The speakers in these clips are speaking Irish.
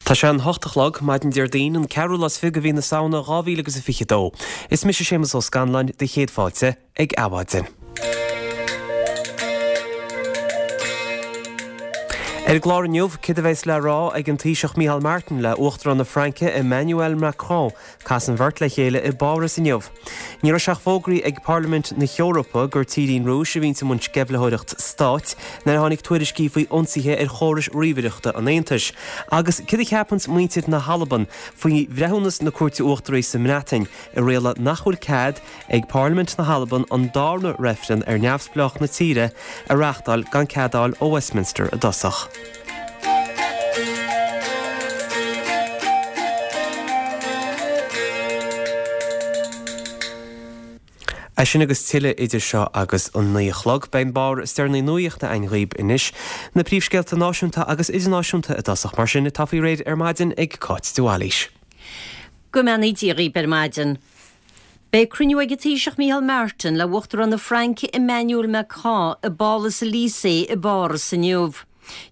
Tá sé an hocht a chlog, maidin Déardaoin, an ceathrú lá is fiche de mhí na Samhna 2000 agus a 22. Is mise Séamus Ó Scanláin, do chéad fáilte ag Adhmhaidin. Ar an gclár inniu, céard a bheas le rá ag an Taoiseach Micheál Martin le Uachtarán na Fraince Emmanuel Macron Casfaidh an bheirt le chéile i bPáras inniu. Ní raibh sé ach fógraithe ag Parlaimint na hEorpa gur tír í an Rúis a bhíonns i mbun sceimhlitheoireacht stáit nuair a tháinig tuairiscí faoi ionsaithe ar chórais ríomhaireachta an Aontais. Agus céard a cheapanns muintir na hAlban faoi bhreithiúnas na Cúirte Uachtaraí sa mBreatain a rialaigh nach bhfuil cead ag Parlaimint na hAlban an darna reifreann ar neamhspleáchas na tíre a reáchtáil gan cead a fháil ó Westminster i dtosach. É sin agus tuilleadh idir seo agus an 9 a chlog. Beidh an barr is deireanaí nuaíochta againn dhaoib anois. Na príomhscéalta náisiúnta agus idirnáisiúnta i dtosach mar sin atá faoi réir ar maidin ag Cáit de Bhailís. Go mbeannaí Dia dhaoib ar maidin. Beidh cruinniú ag an Taoiseach Micheál Martin le Uachtarán na Fraince Emmanuel Macron i bPálas Elysée i bPáras inniu.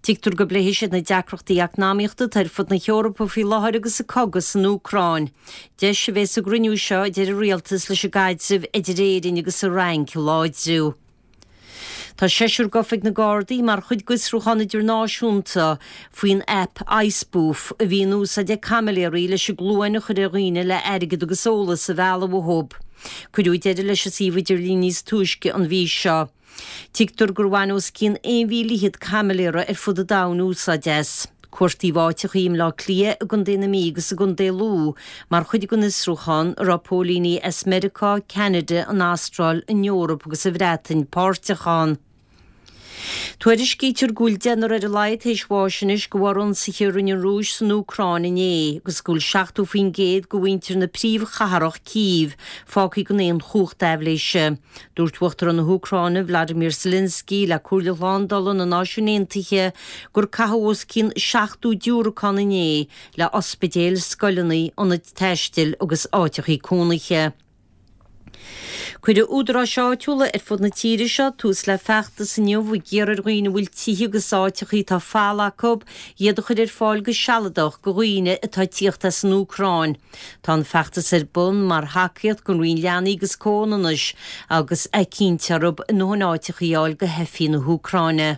Tuigtear go bpléifidh siad na deacrachtaí eacnamaíochta atá ar fud na hEorpa faoi láthair agus an cogadh san Úcráin. Deis a bheidh sa gcruinniú seo a deir an Rialtas leis an gcaidreamh idir Éirinn agus an Fhrainc a láidriú. Tá seisear gafa ag na Gardaí mar chuid d'fhiosrúchán idirnáisiúnta faoin aip iSpoof a bhí in úsáid ag caimiléirí leis an gcluain a chur ar dhaoine le airgead agus eolas a mhealladh uathu. Cuireadh deireadh leis an suíomh idirlín níos túisce an mhí seo. Tuigtear gur bhain os cionn 1,000 fhichead caimiléara ar fud an domhain úsáid as. Cuartaíodh áiteachaí i mBleá Cliath, i gContae na Mí agus i gContae Lú mar chuid den fhiosrúchán, a raibh póilíní as Meiriceá, Ceanada, an Astráil, an Eoraip agus an Bhreatain páirteach ann. Tuairiscítear go bhfuil deichniúr ar a laghad théis bháis anois de bharr ionsaithe a rinne an Rúis san Úcráin inné agus go bhfuil 70% de mhuintir na príomhchathrach Cív fágtha gan aon chumhacht aibhléise. Dúirt Uachtarán na hÚcráine Vladimir Zelensky le Comhairle Shlándála na Náisiún Aontaithe gur caitheadh os cionn 70 diúracán inné le ospidéil, scoileanna, ionaid taistil agus áiteachaí cónaithe. Cuirfidh údaráis áitiúla ar fud na tíre seo tús le feachtas inniu ag iarraidh ar dhaoine a bhfuil tithe agus áiteachaí atá folamh acu iad a chur ar fáil go sealadach do dhaoine atá ag tíocht as an Úcráin. Tá an feachtas ar bun mar thacaíocht don Roinn Leanaí agus Comhionannais agus é cinnte orthu a ndóthain áiteachaí a fháil do theifigh na hÚcráine.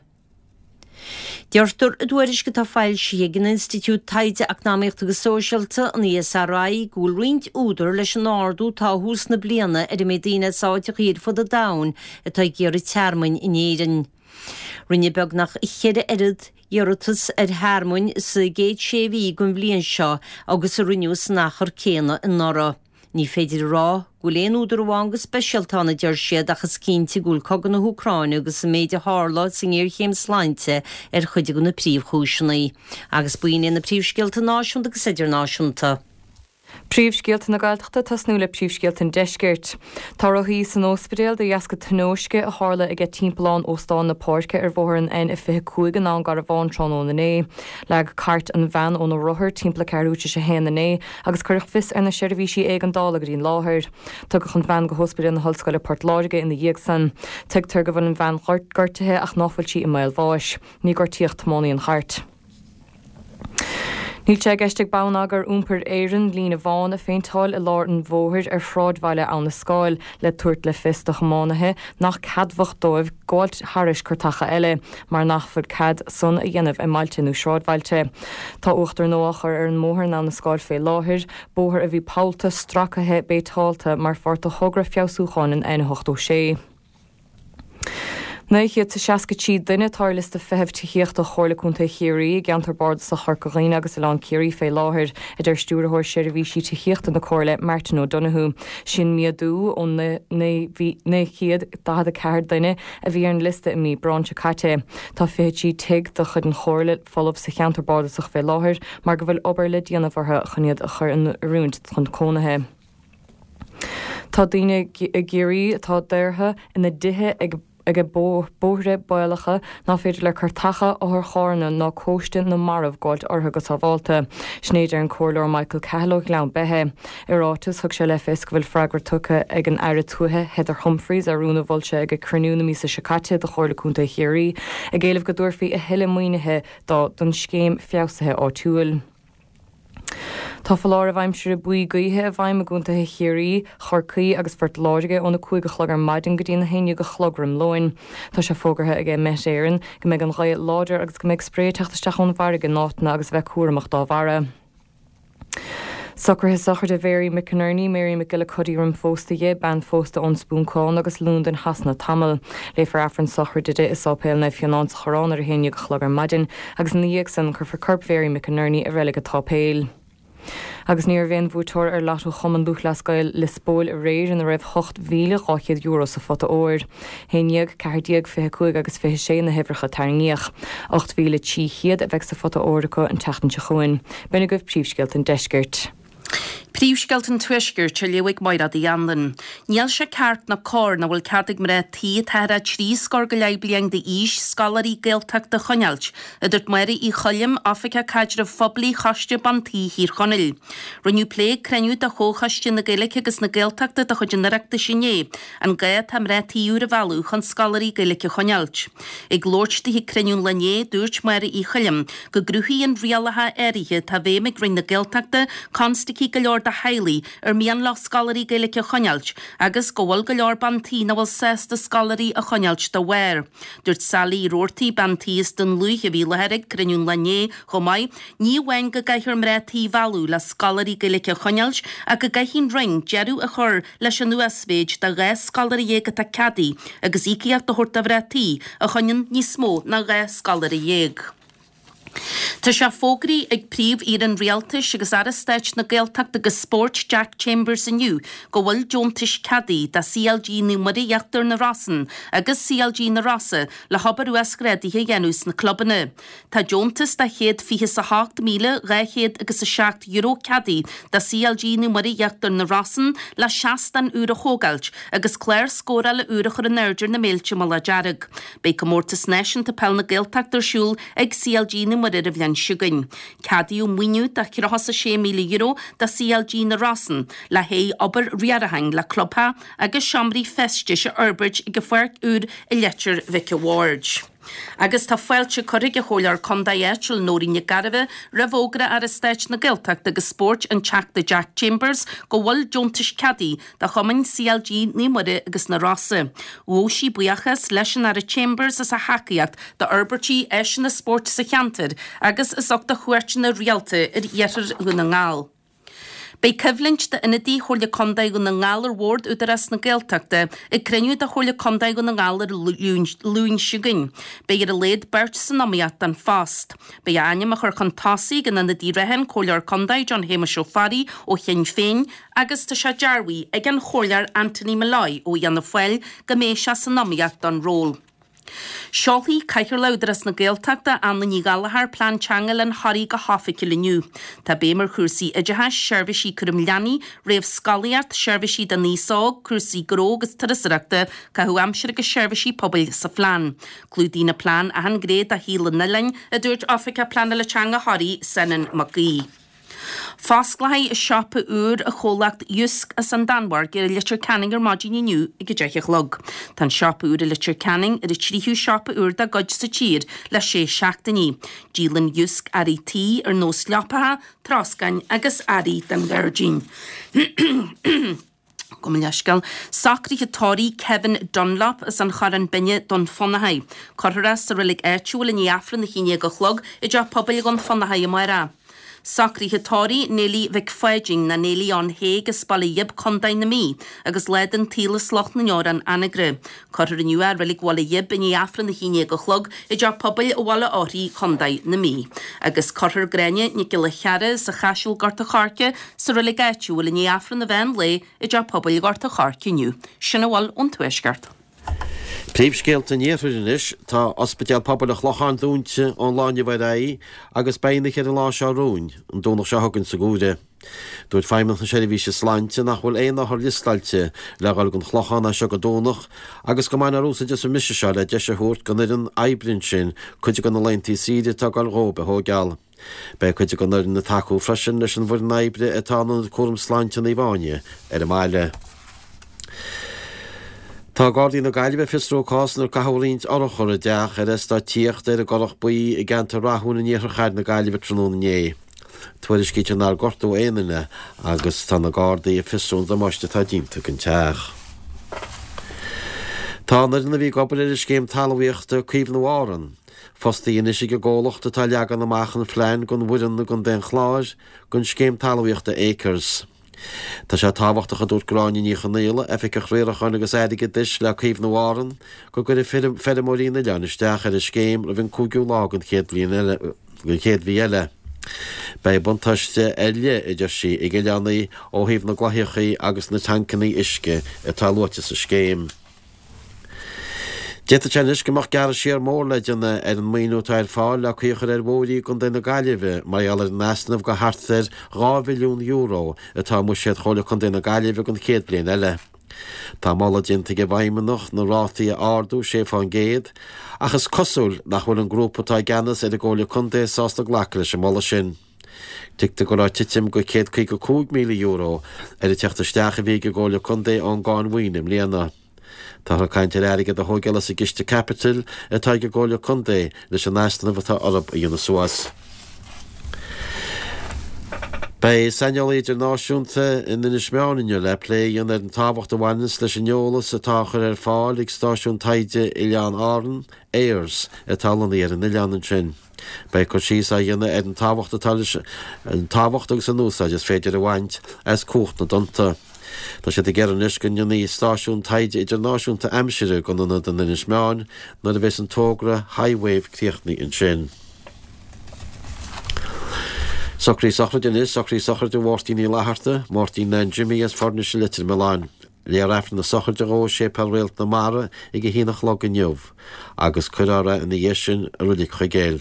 Deirtear i dtuairisc atá foilsithe ag an Institiúid Taighde Eacnamaíochta agus Sóisialta, an ESRI, go bhfuil roinnt údar leis an ardú atá ó thús na bliana ar an méid daoine as áiteachaí ar fud an domhain atá ag iarraidh tearmainn in Éirinn. Rinneadh beagnach cheithre oiread iarratas ar thearmainn sa gcéad sé mhí den bhliain seo agus a rinneadh san achar céanna anuraidh. Ní féidir a rá go bhfuil aon údar amháin go speisialta ann, a deir siad, ach is cinnte go bhfuil cogadh na hÚcráine agus an méid a tharla sa ngéarchéim sláinte ar chuid de na príomhchúiseanna. Agus b'in iad na príomhscéalta náisiúnta agus idirnáisiúnta. Príomhscéalta na Gaeltachta tosnú le príomhscéalta an Deiscirt. Tá rothaí san óspidéal de dheasca tionóisce a tharla aige timpeallán Óstán na Páirce ar bhóthar an N25 i nDún Garbhán tráthnóna inné. Leag cairt an bhean óna rothar timpeall a ceathrú tar éis a haon inné agus cuireadh fios ar na seirbhísí éigeandála go dtí an láthair. Tugadh an bhean go hOspidéal na hOllscoile Port Láirge ina dhiaidh san. Tuigtear go bhfuil an bhean gortaithe ach ná fuil sí i mbaol bháis. Ní gortaíodh tiománaí an chairt. Níl sé i gceist ag Bonneagar Iompair Éireann líne bhán a phéinteáil i lár an bhóthair ar shráidbhaile Abha na Scáil le tabhairt le fios do thiománaithe nach ceadmhach dóibh gabháilt thairis cairteacha eile mar nach bhfuil cead san a dhéanamh i mbailte nó sráidbhailte. Tá uachtar nua á chur ar an mbóthar in Abha na Scáil fé láthair, bóthar a bhí pollta, stracaithe, béiteálta mar pháirt de thogra feabhsúcháin an N86. 963 duine atá ar liosta feithimh tithíochta Chomhairle Contae Chiarraí i gceantar bardasach Chorca Dhuibhne agus Oileán Ciarraí fé láthair, a deir Stiúrthóir Seirbhísí Tithíochta na Comhairle, Martin O'Donoghue. Sin méadú ó 944 duine a bhí ar an liosta i mí Aibreáin seo caite. Tá 23 tigh de chuid an Chomhairle folamh sa cheantar bardasach fé láthair mar go bhfuil obair le déanamh orthu chun iad a chur in oiriúint chun cónaithe. Tá daoine i gCiarraí atá daortha ina dtithe ag ag bóithre baolacha ná féidir le cairteacha, otharcharranna ná cóiste na marbh gabháilt orthu go sábhálta. Sin é a deir an Comhairleoir Michael Cahill ó Ghleann Beithe. I ráiteas, thug sé le fios go bhfuil freagra tugtha ag an Aire Tuaithe Heather Humphreys ar rún a mhol sé ag cruinniú na míosa seo caite de Chomhairle Contae Chiarraí ag éileamh go dtabharfaí a thuilleadh maoinithe dó don scéim feabhsaithe áitiúil. Tá foláireamh aimsire buí gaoithe i bhfeidhm i gcontaetha Chiarraí, Chorcaí agus Phort Láirge óna 5 a chlog ar maidin go dtí na 11 a chlog roim lóin. Tá sé fógartha ag Met Éireann go mbeidh an ghaoth láidir agus go mbeidh spré ag teacht isteach ón bhfarraige in áiteanna agus a bheith cúramach dá bharra. Socruithe sochraide Mhary McInerney, Mary McGillicuddy roim phósta dhi, bean phósta ón Spúncán agus Londain Shasana tamall. Léifear Aifreann sochraide di i Sáipéal Naomh Fionán sa Choireán ar a haon dhéag a chlog ar maidin agus ina dhiaidh san cuirfear corp Mhary McInerney i Reilig an tSáipéil. Agus ní raibh aon bhuaiteoir ar Lotto Chumann Lúthchleas Gael Lios Póil aréir ina raibh €8,200 sa phota óir. 11, 14, 25 agus 26 na huimhreacha a tarraingíodh. 8,300 a bheidh sa phota óir acu an tseachtain seo chugainn. B'in agaibh príomhscéalta an deiscirt. Príomhscéalta an Tuaiscirt á léamh ag Máire Uí Anluain. Níl sé ceart ná cóir nach bhfuil cead ag mná tí atá thar thrí scór go leith bliain d'aois scoláirí Gaeltachta a choinneáilt, a dúirt Máire Uí Choilm, Oifigeach Caidrimh Phoiblí Choiste Ban Tí Thír Chonaill. Rinneadh plé ag cruinniú de Chomhchoiste na Gaeilge agus na Gaeltachta de chuid an Oireachtais inné an gá atá mná tí úr a mhealladh chun scoláirí Gaeilge a choinneáilt. Ag labhairt di ag cruinniú an lae inné, dúirt Máire Uí Choilm go gcruthaíonn rialacha áirithe atá i bhfeidhm ag Roinn na Gaeltachta constaicí go leor do theaghlaigh ar mian leo scoláirí Gaeilge a choinneáilt agus go bhfuil go leor ban tí nach bhfuil sásta scoláirí a choinneáilt dá bharr. Dúirt Sally Uí Robhartaigh, bean tí as Dún Lúiche a bhí i láthair ag cruinniú an lae inné chomh maith, ní amháin go gcaithfear mná tí a mhealladh le scoláirí Gaeilge a choinneáilt ach go gcaithfidh an Roinn deireadh a chur leis an uasmhéid de 12 scoláire atá ceadaithe agus íocaíocht a thabhairt do mhná tí a choinníonn níos mó ná 12 scoláire. Tá sé fógraithe ag Príomh-Aoire an Rialtais agus Aire Stáit na Gaeltachta agus Spóirt Jack Chambers inniu go bhfuil deontais ceadaithe do CLG Naomh Muire Íochtar na Rosann agus CLG na Rosa le hobair uasghrádaithe a dhéanamh sna clubanna. Tá deontas de €128,200 agus €7 ceadaithe do CLG Naomh Muire Íochtar na Rosann le seastán úr a thógáilt agus clár scórála úr a chur in airde ar na Méilte Mullach Dearg. Beidh Comórtas Náisiúnta Peil na Gaeltachta ar siúl ag CLG Naomh Muire ar an bhliain seo chugainn. Ceadaíodh maoiniú de €36,000 do CLG na Rosann le haghaidh obair riaracháin le clubtheach agus seomraí feistis a fhorbairt ag an pháirc úr i Leitir Mhic a' Bhaird. Agus tá fáilte curtha ag an Chomhairleoir Contae áitiúil Nóirín Nic Gairbheith roimh fhógra Aire Stáit na Gaeltachta agus Spóirt an Teachta Jack Chambers go bhfuil deontais ceadaithe do chumainn CLG Naomh Muire agus na Rosa. Ghabh sí buíochas leis an Aire Chambers as a thacaíocht d'fhorbairtí áiseanna spóirt sa cheantar agus as ucht a chuairteanna rialta ar iarthar Dhún na nGall. Beidh coimhlint d'ionadaí Chomhairle Contae Dhún na nGall ar Bhord Údarás na Gaeltachta ag cruinniú de Chomhairle Contae Dhún na nGall ar an Luan seo chugainn. Beidh ar a laghad beirt san iomaíocht don phost. Beidh a ainm á chur chun tosaigh ag an ionadaí reatha, an Comhairleoir Contae John Shéamuis Ó Fearraigh ó Shinn Féin agus tá sé dearbhaithe ag an Chomhairleoir Anthony Molloy ó Fhianna Fáil go mbeidh sé san iomaíocht don ról. Seolfaidh Cathaoirleach Údarás na Gaeltachta, Anna Ní Ghallchóir, Plean Teanga Oileán Thoraí go hoifigiúil inniu. Tá béim ar chúrsaí oideachais, seirbhísí cúram leanaí, réamhscolaíocht, seirbhísí don aos óg, cúrsaí gnó agus turasóireachta, caitheamh aimsire agus seirbhísí pobail sa phlean. Clúdaíonn an plean achan ghné de shaol an oileáin, a dúirt Oifigeach Pleanála Teanga Thoraí, Senan Mac Aoidh. Fosclóidh siopa úr an chomhlacht Jysk as an Danmhairg i Leitir Ceanainn ar maidin inniu ag 10 a chlog. Tá an siopa úr i Leitir Ceanainn ar an tríú siopa úr dá gcuid sa tír le sé seachtainí. Díolann Jysk earraí tí ar nós leapacha, troscáin agus earraí don ghairdín. Gabh mo leithscéal. Socruithe tórraimh Kevin Dunlop as an Chorrán Binne, Dún Fionnachaidh. Cuirfear é sa reilig áitiúil i ndiaidh Aifreann a haon déag a chlog i dTeach Pobail Dhún Fionnachaidh amárach. Socruithe tórraimh Neilí Mhic Pháidín nó Neilí Ann Thaidhg as Baile Ghib, Contae na Mí, agus lá den tsaol as Loch na nDeorán, Anagaire. Cuirfear inniu é i Reilig Bhaile Ghib i ndiaidh Aifreann a haon déag a chlog i dTeach Pobail Bhaile Eochraí, Contae na Mí. Agus cuirfear Gráinne Nic Giolla Chearra as an Chaiseal Gort a' Choirce sa reilig áitiúil i ndiaidh Aifreann an mheán lae i dTeach Pobail Ghort a' Choirce inniu. Sin a bhfuil ón Tuaisceart. Príomhscéalta an Iarthair anois, Tá Ospidéal Pobail an Chlocháin dúnta ón lá inniu ar aghaidh agus beidh an oíche ar an lá seo romhainn, an Domhnach seo chugainn sa Ghuaire. Dúirt Feidhmeannacht na Seirbhíse Sláinte nach bhfuil aon othar liostáilte le dhul gon Chlochán as seo go Domhnach agus go mbainfear úsáid as an mbriseadh seo le deis a thabhairt gon fhoireann oibre ansin cuid de na laethanta saoire atá ag dul dhóib a thóigeáil. Beidh cuid den fhoireann ag tacú freisin leis an bhfoireann oibre atá in Ionad Cúram Sláinte Naomh Áine ar an mbaile. Tá Gardaí na Gaillimhe ag fiosrú cás inar caitheadh roinnt urchar i dteach ar eastát tithíochta ar an gCurrach Buí i gceantar Rathúin in iarthar chathair na Gaillimhe tráthnóna inné. Tuairiscítear nár gortaíodh aon duine agus tá na Gardaí ag fiosrú an damáiste atá déanta don teach. Tá an fhoireann a bhí ag obair ar an scéim talmhaíochta Caomhnú Árann fostaithe anois ag an gcomhlacht atá ag leagan amach an phlean don bhfoireann i gContae an Chláir don scéim talmhaíochta Acres. Tá sé tábhachtach, a dúirt Gráinne Ní Chonaola, Oifigeach Riaracháin agus Airgeadais le Caomhnú Árann, go gcuirfidh feirmeoirí an oileáin isteach ar an scéim roimh an 5ú lá den chéad bhliain eile, den chéad mhí eile. Beidh buntáiste ar leith, a deir sí, ag oileánaigh ó thaobh na gcloicheachaí agus na tancannaí uisce atá luaite sa scéim. D'fhéadfadh sé anois go mbeadh gearradh siar mór le déanamh ar an maoiniú atá ar fáil le caoi a chur ar bhóithrí i gContae na Gaillimhe mar gheall ar an easnamh de thart ar €2 mhilliún atá i mbuiséad Chomhairle Contae na Gaillimhe don chéad bhliain eile. Tá moladh déanta ag an bhFeidhmeannacht na rátaí a ardú 6 fán gcéad ach is cosúil nach bhfuil an grúpa atá i gceannas ar an gComhairle Contae sásta glacadh leis an moladh sin. Tuigtear go raibh titim de €155,000 ar an teacht isteach a bhí ag an gComhairle Contae ón gcáin mhaoine i mbliana. Táthar ag caint ar airgead a thóigeáil as an gciste caipitil atá ag an gComhairle Contae leis an easnamh atá orthu a dhéanamh suas. Beidh saineolaí idirnáisiúnta in Inis Meáin inniu le plé a dhéanamh ar an tábhacht a bhaineanns leis an eolas atá á chur ar fáil ag stáisiún taighde Oileáin Árann, EYERS, atá lonnaithe ar an oileán ansin. Beidh cur síos á dhéanamh ar an tábhacht atá leis an tábhacht agus an úsáid is féidir a bhaint as cumhacht na dtonnta. Tá siad ag iarraidh anois go ndéanfaí stáisiún taighde idirnáisiúnta aimsire den ionad in Inis Meáin nuair a bheas an togra HiWave críochnaithe ansin. Socruithe sochraide anois, socruithe sochraide Mháirtín Uí Fhlatharta, Máirtín Nan Jimmy as Foirnis i Leitir Mealláin. Léifear Aifreann na sochraide dhó i Séipéal Réalt na Mara ag a haon a chlog inniu agus cuirfear é ina dhiaidh sin i Reilig Chuigéil.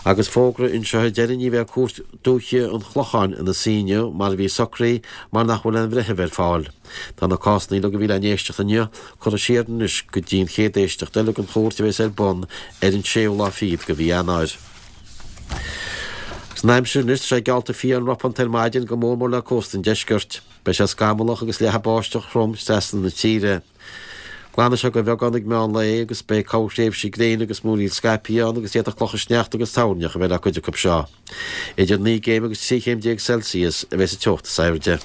Agus fógra anseo ar deireadh ní bheidh Cúirt Dúiche an Chlocháin ina suí inniu mar a bhí socraithe mar nach bhfuil aon bhreitheamh ar fáil. Tá na cásanna uilig a bhí le n-éisteacht inniu curtha siar anois go dtí an chéad éisteacht eile den chúirt a bheas ar bun ar an séú lá fichead de mhí Eanáir. Agus an aimsir anois, tá sé geallta fiáin ropánta ar maidin go mór mór le cósta an deiscirt. Beidh sé scamallach agus leathfaidh báisteach throm trasna na tíre. Glanfaidh sé de bheagán ag meán lae agus beidh corrthréimhsí gréine agus múraíl scaipthe ann agus d'fhéadfadh clocha sneachta agus toirneach a bheith le cuid acu seo. Idir 9 gcéim agus 13 chéim Celsius a bheidh sa teocht is airde.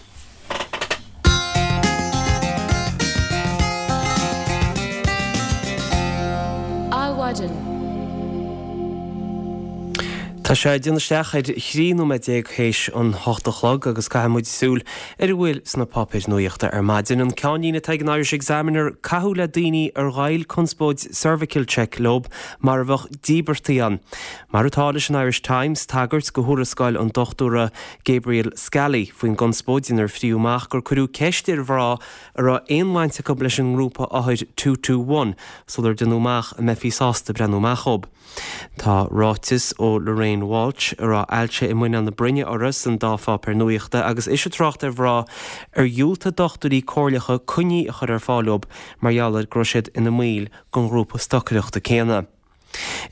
Adhmhaidin. Tá sé ag déanamh isteach ar 13 nóiméad théis an hocht a chlog agus caithfidh muid súil ar a bhfuil sna páipéir nuachta ar maidin. An ceannlíne atá ag an Irish Examiner, caitheadh le daoine ar ghoill conspóid Cervical Check leo mar a bheadh íobartaigh ann. Mar atá leis an Irish Times, tagairt go thuarascáil an dochtúra Gabriel Scally faoin gconspóid inar fríodh amach gur cuireadh ceist ar mhná a raibh aon bhaint acu leis an ngrúpa othair Two Two One sular déanadh amach an mbeifí sásta breathnú amach dhóibh. Tá ráiteas ó Lorraine Walsh, a raibh ailse i muineál na broinne uirthi, san dá pháipéar nuachta agus ise ag trácht ar mhná ar dhiúltaigh dochtúirí comhairleacha coinní a chur ar fáil dóibh mar gheall ar go raibh siad ina mbaill den ghrúpa stocaireachta céanna.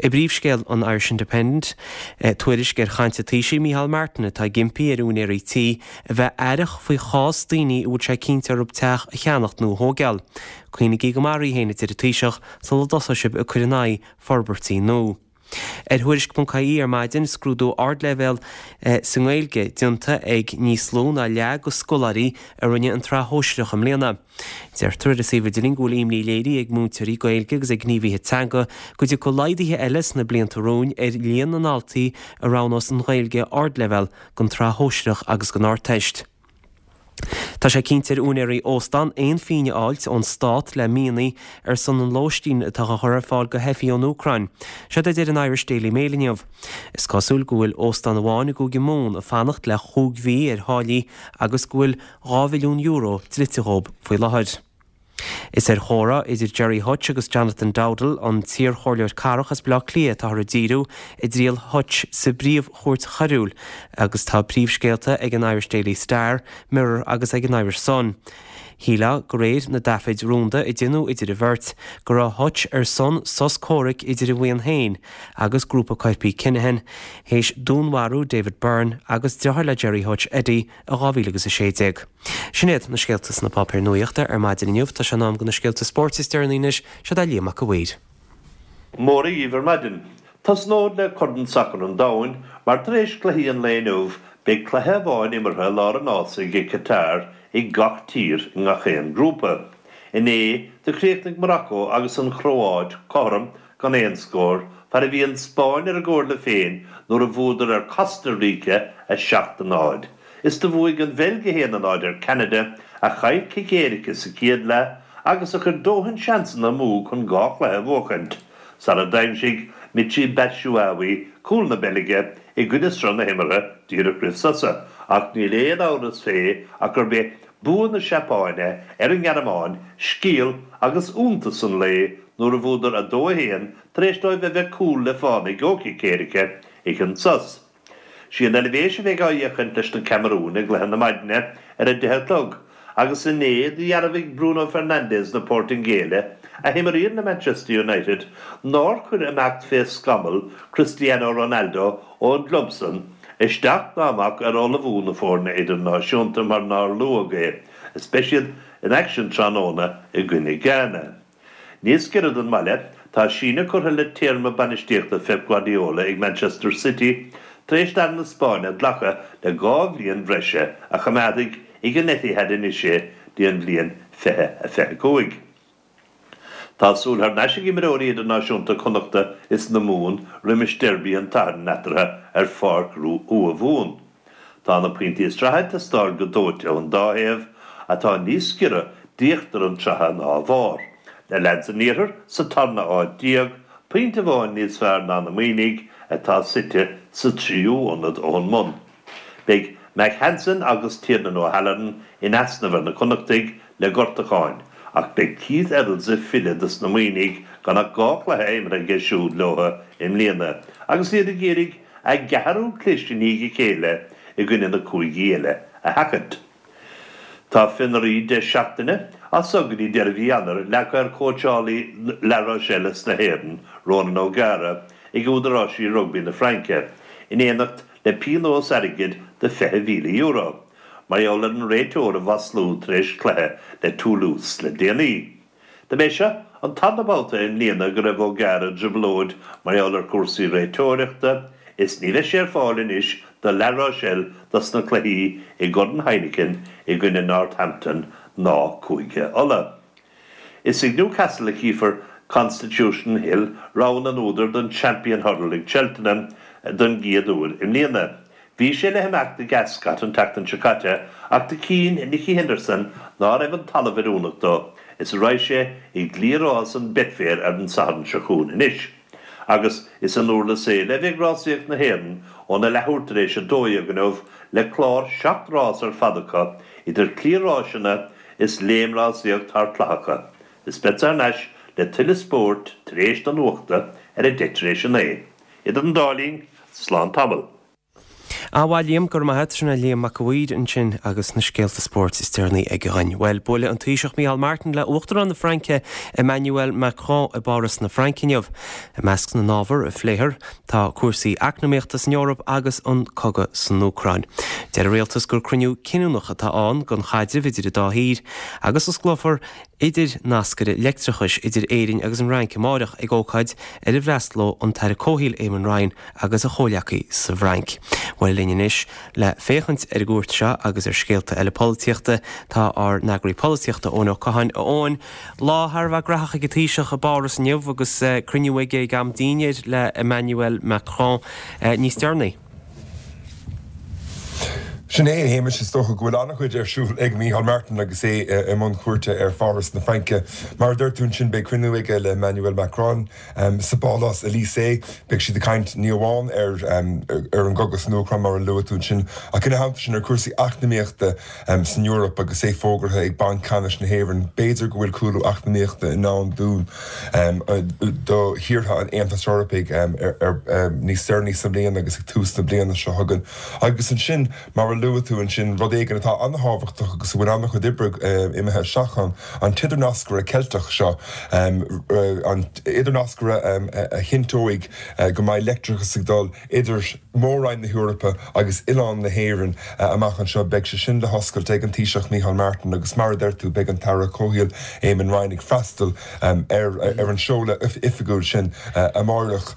I bpríomhscéal an Irish Independent, tuairisc ar chaint an Taoisigh Micheál Martin atá ag impí ar úinéirí tí a bheith aireach faoi chás daoine a bhfuil sé cinnte orthu teach a cheannacht nó a thóigeáil. Cuimhnigí go maith oraibh féin, a deir an Taoiseach, sula dtosóidh sibh ag cur in aghaidh forbairtí nua. Ar Thuairisc.ie ar maidin, scrúdú ardleibhéal sa nGaeilge déanta ag níos lú ná leath de scoláirí a rinne an tSraith Shóisearach i mbliana. Deirtear ar an suíomh idirlín go bhfuil imní léirithe ag múinteoirí Gaeilge agus ag gníomhaithe teanga go dtiocfaidh laghduithe eile sna blianta romhainn ar líon na ndaltaí a roghnós an Ghaeilge ardleibhéal don tSraith Shóisearach agus don Ardteist. Tá sé cinnte ar úinéirí óstán aon phingin a fháilt ón stát le mianaigh ar son an lóistín atá á chur ar fáil do theifigh ón Úcráin. Seod é a deir an Irish Daily Mail inniu. Is cosúil go bhfuil óstán amháin i gCúige Mumhan ag fanacht le chúig mhí ar tháillí agus go bhfuil €2 mhilliún dlite dhóibh faoi láthair. Is ar chomhrá idir Gerry Hutch agus Jonathan Dowdall, an t-iarchomhairleoir cathrach as Baile Átha Cliath, atáthar ag díriú i dtriail Hutch sa bPríomh-Chúirt Choiriúil agus tá príomhscéalta ag an Irish Daily Star, Mirror agus ag an Irish Sun. Shílfeá, de réir na dtaifid rúnda a deineadh idir an bheirt, go raibh Hutch ar son sos comhraic idir a bhuíon féin agus grúpa coirpigh Kinahan théis dúnmharú David Byrne agus deartháir le Gerry Hutch, Eddie, i 2016. Sin iad na scéalta sna páipéir nuachta ar maidin inniu. Tá sé in am do na scéalta spóirt is deireanaí anois. Seod é Liam Mac a' Mhaoir. Mora dhíbh ar maidin. Tosnód le Corn Sacair an Domhain mar tar éis cluichí an lae inniu beidh cluiche amháin imeartha i lár an fhásaigh i Qatar ag gach tír i ngach aon grúpa. Inné do chríochnaigh Morocco agus an Chróáit cothrom gan aon scór fad a bhí an Spáinn ar a gcomhairle féin nuair a bhuadar ar Costa Rica 7-0. Is do bhuaigh an Bheilg 1-0 ar Ceanada a chaill cic éirice sa chéad leath agus a chuir dóthain seansanna amú chun 2 chluiche a bhuachaint. sara d'aimsigh Michy Batshuayi cúl na Beilge i gcoinne sruth na himeartha díreach roimh sosa ach níl aon amhras fé ach gurb é bua na Seapáine ar an nGearmáin scéal agus iontas an lae nuair a bhuadar 2-1 tar éis dóibh a bheith cúl le fánaidh ó chic éirice ag an sos. Sí an Eilvéis a bheidh á fhéachaint leis na Camarúin i gcluiche na maidine ar a 10 a chlog agus inné do dhearbhaigh Bruno Fernandes na Portaingéile, a himríonn le Manchester United, nár chuir imeacht fé scamall Cristiano Ronaldo ón gclub san isteach ná amach ar ullmhú na foirne idirnáisiúnta mar nár luadh é is beidh siad in aicsean tráthnóna i gcoinne Ghana. Níos giorra don mbaile, tá síneadh curtha le téarma bainistíochta Phep Guardiola ag Manchester City tar éis d'fhear na Spáinne glacadh le 2 bhliain bhreise a choimeádfaidh ag an Etihad anois é dtí an bhliain 2025. Tá súil thar n-ais ag imreoirí idirnáisiúnta Connachta is na Mumhan roimis deirby an tSathairn eatarthu ar Pháirc Ua Mhumhan. Tá na pointí sraithe ag teastáil go dóite ón dá thaobh, atá níos giorra d'íochtar an tsraithe ná a bharr. Na leaids an iarthair sa tarna áit déag, pointe amháin níos fearr ná na Muimhnigh atá suite sa tríú ionad ón mbun. Beidh Mack Hansen agus Tiernan O'Halloran in easnamh ar na Connachtaigh le gortúcháin, ach beidh Keith Earls ag filleadh dos na Muimhnigh gan ach 2 chluiche imeartha aige siúd leo i mbliana agus iad ag iarraidh a gceathrú clis i ndiaidh a chéile i gcoinne na cúigí eile a sheachaint. Tá fionraí 10 seachtaine, as so go dtí deireadh mhí Eanáir, leagtha ar chóitseálaí La Rochelle is na hÉireann, Ronan O'Gara, ag údaráisí rugbaí na Fraince, in éineacht le pionós airgid de €20,000, mar gheall ar an réiteoir a mhaslú tar éis cluiche le Toulouse le déanaí. Dob é seo an tarna babhta i mbliana go raibh O'Gara i dtrioblóid mar gheall ar chúrsaí réiteoireachta is ní bheidh sé ar fáil anois do La Rochelle dos na cluichí i gCorn Heineken i gcoinne Northampton ná Cúige Uladh. Is ag Newcastle a chífear Constitution Hill, rogha na n-údar don Champion Hurdle ag Cheltenham don gcéad uair i mbliana. Bhí sé le himeacht ag Ascot an tseachtain seo caite ach do chinn Nicky Henderson ná raibh an talamh oiriúnach dó is raghaidh sé i gcliathrás an Betfair ar an Satharn seo chugainn anois. Agus is i nDurlas Éile a bheidh rásaíocht na hÉireann óna leathuair tar éis 12 inniu le clár 7 rás ar fad acu idir chliathráiseanna is léimrásaíocht thar clathacha. Is beadsa thar n-ais le tuilleadh spóirt tar éis na nuachta ar a 9:10 tar éis a 9. Idir an dá linn, slán tamall. A mhaith Liam, go raibh maith a't. Sin é Liam Mac a' Mhaoir ansin agus na scéalta spóirt is deireanaí aige dhuinn. Bhuel, buailfidh an Taoiseach Micheál Martin le Uachtarán na Fraince Emmanuel Macron i bPáras na Fraince inniu. I measc na n-ábhar a phléifear tá cúrsaí eacnamaíochta san Eoraip agus an cogadh san Úcráin. Deir an rialtas gur cruinniú cinniúnach atá ann don chaidreamh idir an dá thír agus osclófar idirnascaire leictreachais idir Éirinn agus an Fhrainc amáireach ag ócáid ar a bhfreastalóidh an tAire Comhshaoil Eamon Ryan agus a chomhleacaí sa bhFrainc. Bhuel linn anois le féachaint ar an gcuairt seo agus ar scéalta eile polaitíochta tá ár n-eagraí polaitíochta Eoin Ó Catháin. A Eoin, lá thar a bheith graitheach ag an Taoiseach i bPáras inniu agus cruinniú aige ag am dinnéir le Emmanuel Macron níos deireanaí. Sin é, a Shéamais, is dócha go bhfuil an-chuid ar siúl ag Micheál Martin agus é i mbun cuairte ar Pháras na Fraince. Mar a dúirt tú ansin, beidh cruinniú aige le Emmanuel Macron sa bPálás Elysée. Beidh siad ag caint ní amháin ar ar an gcogadh san Úcráin, mar a luaigh tú ansin, ach ina theannta sin ar chúrsaí eacnamaíochta san Eoraip agus é fógartha ag Banc Ceannais na hÉireann. B'fhéidir go bhfuil cúlú eacnamaíochta i ndán dúinn. do thíortha an Aontais Eorpaigh níos deireanaí sa mbliain agus ag tús na bliana seo chugainn. Agus ansin, mar a. luaigh tú ansin, rud éigin atá an-thábhachtach agus a bhfuil an-chuid oibre imithe isteach ann, an t-idirnascaire Ceilteach seo, an t-idirnascaire a chinnteoidh go mbeidh leictreachas ag dul idir Mór-Roinn na hEorpa agus oileán na hÉireann amach anseo. Beidh sé sin le hoscailt ag an Taoiseach Micheál Martin agus mar a deir tú beidh an tAire Comhshaoil Eamon Ryan ag freastal ar an seoladh oifigiúil sin amáireach.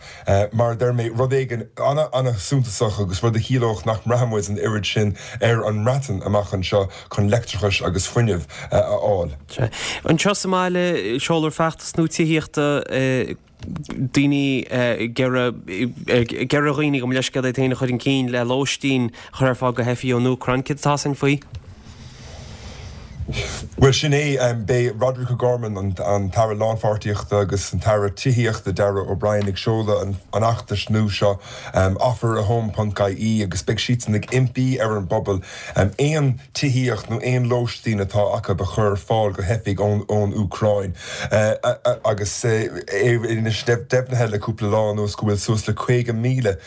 Mar a deir mé, rud éigin an-an-suntasach agus rud a chiallódh nach mbraithfidh muid an oiread sin ar an mBreatain amach anseo chun leictreachas agus fuinneamh a fháil. Anseo sa mbaile, seolfar feachtas nua tithíochta. daoine ag iarraidh ar dhaoine, gabh mo leithscéal, iad féin a chur chun cinn le lóistín a chur ar fáil do theifigh ón Úcráin. Céard atá ann faoi? Bhuel, sin é. Beidh Roderic O'Gorman, an tAire Lánpháirtíochta agus an tAire Tithíochta Darragh O'Brien ag seoladh an fheachtais nua seo, offerahome ponc ie, agus beidh siadsan ag impí ar an bpobal aon tithíocht nó aon lóistín atá acu a chur ar fáil do theifigh ón Úcráin agus é anois deimhnithe le cúpla lá anuas go bhfuil suas le 50,000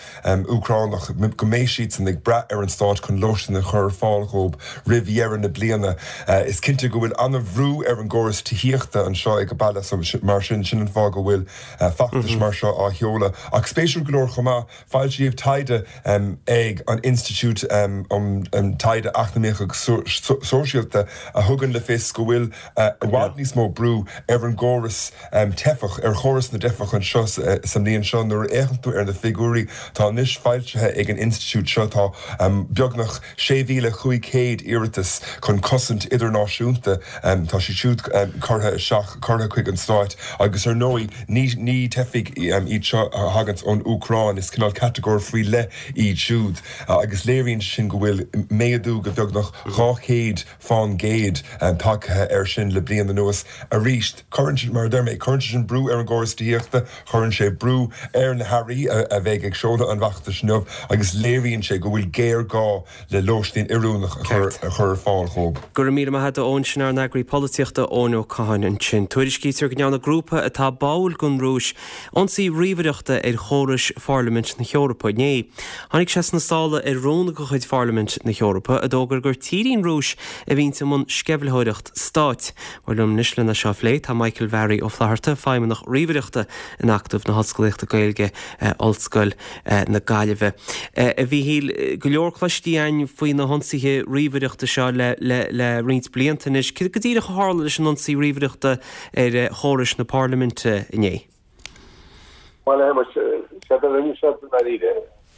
Úcránach, go mbeidh siadsan ag brath ar an stát chun lóistín a chur ar fáil dhóibh roimh dheireadh na bliana. Is cinnte go bhfuil an-bhrú ar an gcóras tithíochta anseo ag an baile mar sin, sin an fáth go bhfuil feachtas mar seo á sheoladh. Ach spéisiúil go leor chomh maith, Foilsíodh taighde ag an Institiúid um Taighde Eacnamaíoch agus Sóisialta a thugann le fios go bhfuil i bhfad níos mó brú ar an gcóras teifeach, ar chóras na dteifeach anseo sa mbliain seo. Nuair a fhéachann tú ar na figiúirí atá anois foilsithe ag an institiúid seo, tá beagnach 6,500 iarratas chun cosaint idirnáisiúnta, tá siad siúd curtha isteach, curtha chuig an stáit agus ar ndóigh ní ní teifigh iad seo a thaganns ón Úcráin, is cineál catagóir faoi leith iad siúd agus léiríonn sé sin go bhfuil méadú de bheagnach 200 fán gcéad tagtha air sin le bliain anuas. Arís, cuireann sé, mar a deir mé, cuireann sé sin brú ar an gcóras tithíochta, cuireann sé brú ar na hairí a bheidh ag seoladh an bhfeachtais inniu agus léiríonn sé go bhfuil géarghá le lóistín oiriúnach a chur ar fáil dhóibh. Go raibh míle maith agat a Eoin, sin ár n-eagraí polaitíochta Eoin Ó Catháin ansin. Tuairiscítear go ndearna grúpa atá báúil don Rúis ionsaí ríomhaireachta ar chórais Pharlaimint na hEorpa inné. Tháinig sé sna sála ar rún de chuid Pharlaimint na hEorpa a d'fhógair gur tír í an Rúis a bhíonns i mbun sceimhlitheoireacht stáit. Bhuel liom anois lena seo a phlé tá Michael Bharry Ó Flatharta, Feidhmeannach Ríomhaireachta in Acadamh na hOllscolaíochta Gaeilge, Ollscoil na Gaillimhe. A Mhíchíl, go leor cloiste againn faoi na hionsaithe ríomhaireachta seo le le roinnt blianta anois. Céard go díreach a tharla leis an ionsaí ríomhaireachta ar chórais na Parlaiminte inné? Bhuel, a Shéamais, séard a rinne siad i ndáiríre,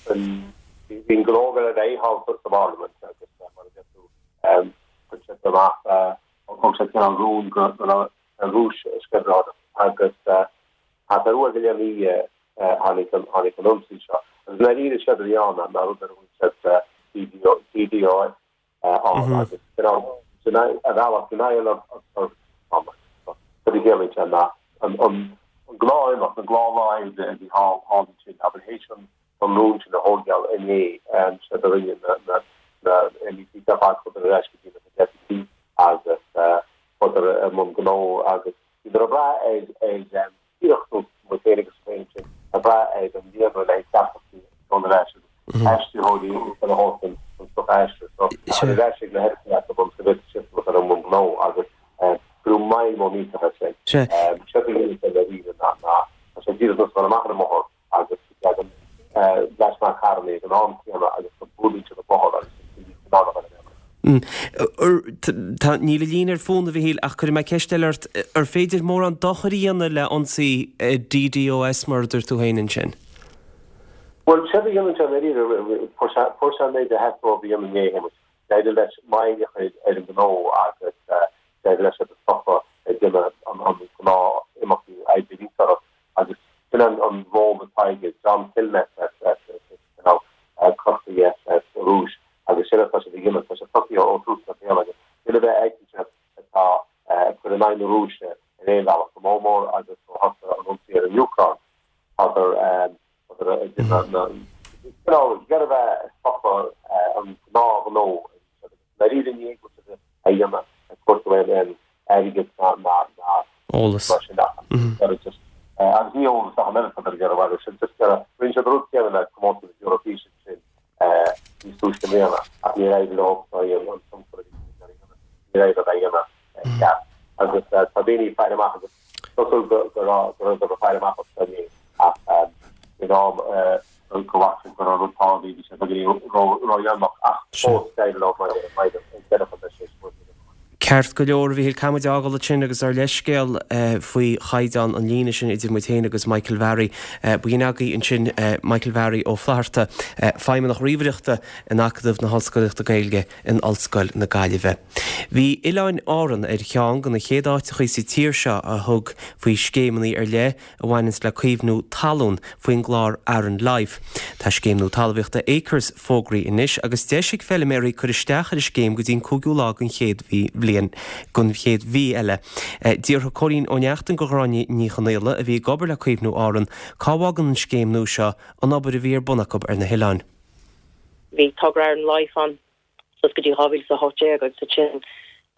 bhí an gnó ag dul ar aghaidh thall sa bParlaimint agus mar a deir tú, chuir siad amach, thug siad cineál rún go raibh an Rúis ag sceimhlitheoireacht agus thart ar uair go leith an oíche tháinig an tháinig an ionsaí seo. Agus i ndáiríre séard a bhí ann ná rud ar a bhfuil siad DDoS ann agus cineál ar bhealach denial of service ann. Cad a chiallaíonn sé ná an gnáth-imeacht, an gnáthlá oibre a bhí thall ansin, abair théis an an rún sin a thógáil inné, séard a rinne na na MEPs ar fad chuadar ar ais go dtí na deascaí agus chuadar i mbun gnó agus bhíodar ag brath ar ar díreach nós muid féin agus féin sin ag brath ar an líonra le haghaidh teachtaireachtaí a dul ar ais agus aistritheoirí a thabhairt an stuif a aistriú. So ar ais ag na hoifigí acu ionas go bhféadfadh siad a bheith i mbun gnó agus cuireadh moill mhór millteach air sin. Séard a dhéanann sé dáiríre ná tá sé díreach nós a bheith amach ar an mbóthar agus go dtagann leis na carranna ag an am céanna agus go mbuaileann siad an bóthar agus go mbíonn siad in ann a bheith Tá, níl an líne ar fónamh, a Mhichíl, ach cuirfidh mé ceist eile ort. Ar féidir mórán dochair a dhéanamh le ionsaí DDoS, mar a dúirt tú féin ansin? Bhuel, séard a dhéanann sé i ndáiríre, fuair sé, fuair sé an méid a theastaigh uaidh a dhéanamh inné, a Shéamais. D'éirigh leis moill a chur ar an ngnó agus d'éirigh leis iad a stopadh ag déanamh an gnáth-imeachtaí oibre a bhí orthu. Agus sin an ról atá aige, John Killnet as Corcaigh as an Rúis agus sin atá siad a dhéanamh, tá sé tosaithe ó thús na bliana agus duine ar bith a fheiceann siad atá ag cur in aghaidh na Rúise ar aon bhealach, go mór mór agus ó thosaigh an ionsaí ar an Úcráin, tádar ag déanamh na, cineál ag iarraidh a bheith ag stopadh an gnáthghnó a bhí siad agus dáiríre ní go bhfuil siad a dhéanamh ag cuartú aon airgead ná ná Eolas. mar sin ach iarraidh just agus ní eolas ach an oiread atá ag iarraidh agus sin just iarraidh rinne siad an rud céanna le comórtas na hEoraifíse sin níos túisce. i mbliana ach níor éirigh leo an tionchar a bhí siad ag iarraidh a dhéanamh, níor éirigh leo é a dhéanamh i gceart. Agus tá daoine ag faire amach agus cosúil go go raibh go raibh ag faire amach as seo inné ach faoin am go bhfaca siad go raibh rud tarlaithe bhí sé beagáinín ródhéanach ach fós d'éirigh leo mar a deireadh an beidh sé Ceart go leor, a Mhíchíl, caithfidh muid é a fhágáil ansin agus ár leithscéal faoi chaighdeán an líne sin idir muid féin agus Michael Bharry. B'in agaibh ansin Michael Bharry Ó Flatharta, Feidhmeannach Ríomhaireachta in Acadamh na hOllscolaíochta Gaeilge in Ollscoil na Gaillimhe. Bhí Oileáin Árann ar cheann de na chéad áiteachaí sa tír seo a thug faoi scéimeanna ar leith a bhaineanns le caomhnú talún faoin gclár Aran Life. Tá scéim nua talmhaíochta Acres fógraithe anois agus deis ag feiliméaraí cur isteach ar an scéim go dtí an cúigiú lá den chéad bhliain den chéad mhí eile. D'fhiafraigh Cóilín Ó Neachtain de Ghráinne Ní Chonaola, a bhí ag obair le Caomhnú Árann, cá bhfágann an scéim nua seo an obair a bhí ar bun acu ar na hoileáin. Bhí togra Aran Life ann suas go dtí 2018 agus ansin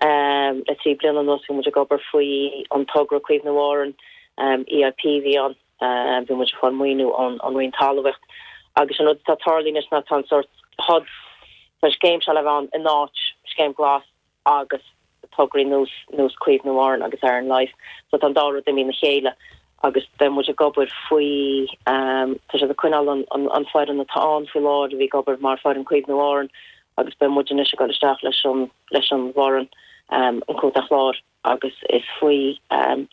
le 3 bliana anuas bhí muid ag obair faoi an togra Caomhnú Árann, EIP a bhí ann, bhí muid ag fáil maoiniú ón Roinn Talmhaíocht agus an rud atá tarlaithe anois ná tá an sórt HUD, tá an scéim seo le bheith ann in áit scéim glas agus tograí nós nós Caomhnú Árann agus Aran Life. So tá an dá rud imithe ina chéile agus beidh muid ag obair faoi, tá siad ag coinneáil an an foireann atá ann faoi láthair a bhí ag obair mar foireann Caomhnú Árann agus beidh muid anois ag dul isteach leis an leis an bhfoireann an Contae Chláir agus is faoi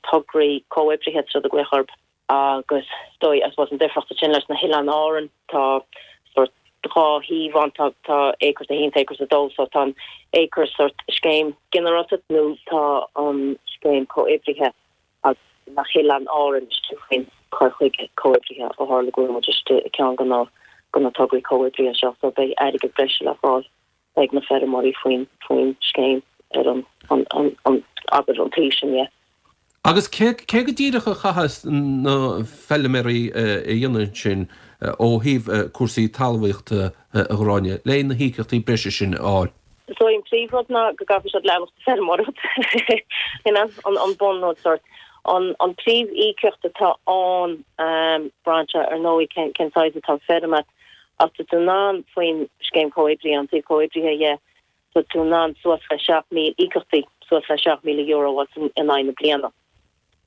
tograí comhoibrithe atá siad ag glaoch orthu. Agus is dóigh, I suppose, an difríocht ansin leis na hOileáin Árann, tá sórt dhá thaobh ann, tá tá Acres 1, tá Acres 2, so tá an Acres sórt scéim ginearálta nó tá an scéim comhoibrithe agus na hOileáin Árann istigh faoin cur chuige comhoibrithe ó tharla go bhfuil muid istigh i gceann de na de na tograí comhoibrithe seo, so beidh airgead breise le fáil ag na feirmeoirí faoin faoin scéim ar an an an an abair an taobh sin dhe. Agus cé cé go díreach a chaithfeas na feilméaraí a dhéanamh ansin ó thaobh cúrsaí talmhaíochta a Ghráinne, le na híocaíochtaí breise sin a fháil? So an príomhrud ná go gcaithfidh siad leanacht ag feirmeoireacht, you know, an an bunrud sort. An an príomh-íocaíocht atá ann, braitheann sé ar ndóigh cén cén saghas atá an feirm agat, Ach tá tú in ann faoin scéim comhoibrithe, an taobh comhoibrithe dhe, tá tú in ann suas le 7,000, íocaíochtaí suas le €7,000 a fháil in aghaidh na bliana.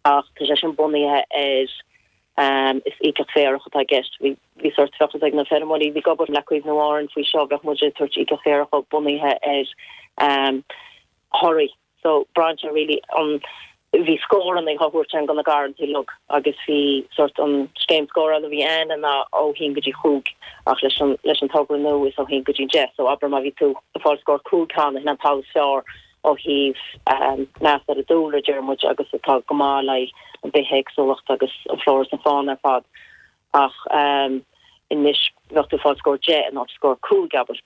Ach tá sé sin bunaithe ar, is íocaíocht féarach atá i gceist. Bhí, bhí sórt fiachas ag na feirmeoirí a bhí ag obair le Caomhnú Árann faoi seo, bheadh muid ag tabhairt íocaíocht féarach bunaithe ar thoradh. So braitheann sé really an bhí scóranna á thabhairt againn do na garrantaí uilig agus bhí sort an scéim scórála a bhí ann ná ó haon go dtí chúig ach leis an leis an togra nua is ó haon go dtí deich so abair má bhí tú ag fáil scór 5 cheana sin an talamh is fearr ó thaobh meas ar an dúlra deir muid agus atá go maith le an bithéagsúlacht agus an flora is an fauna ar fad ach anois bheadh tú ag fáil scór 10 in áit scór 5 abair.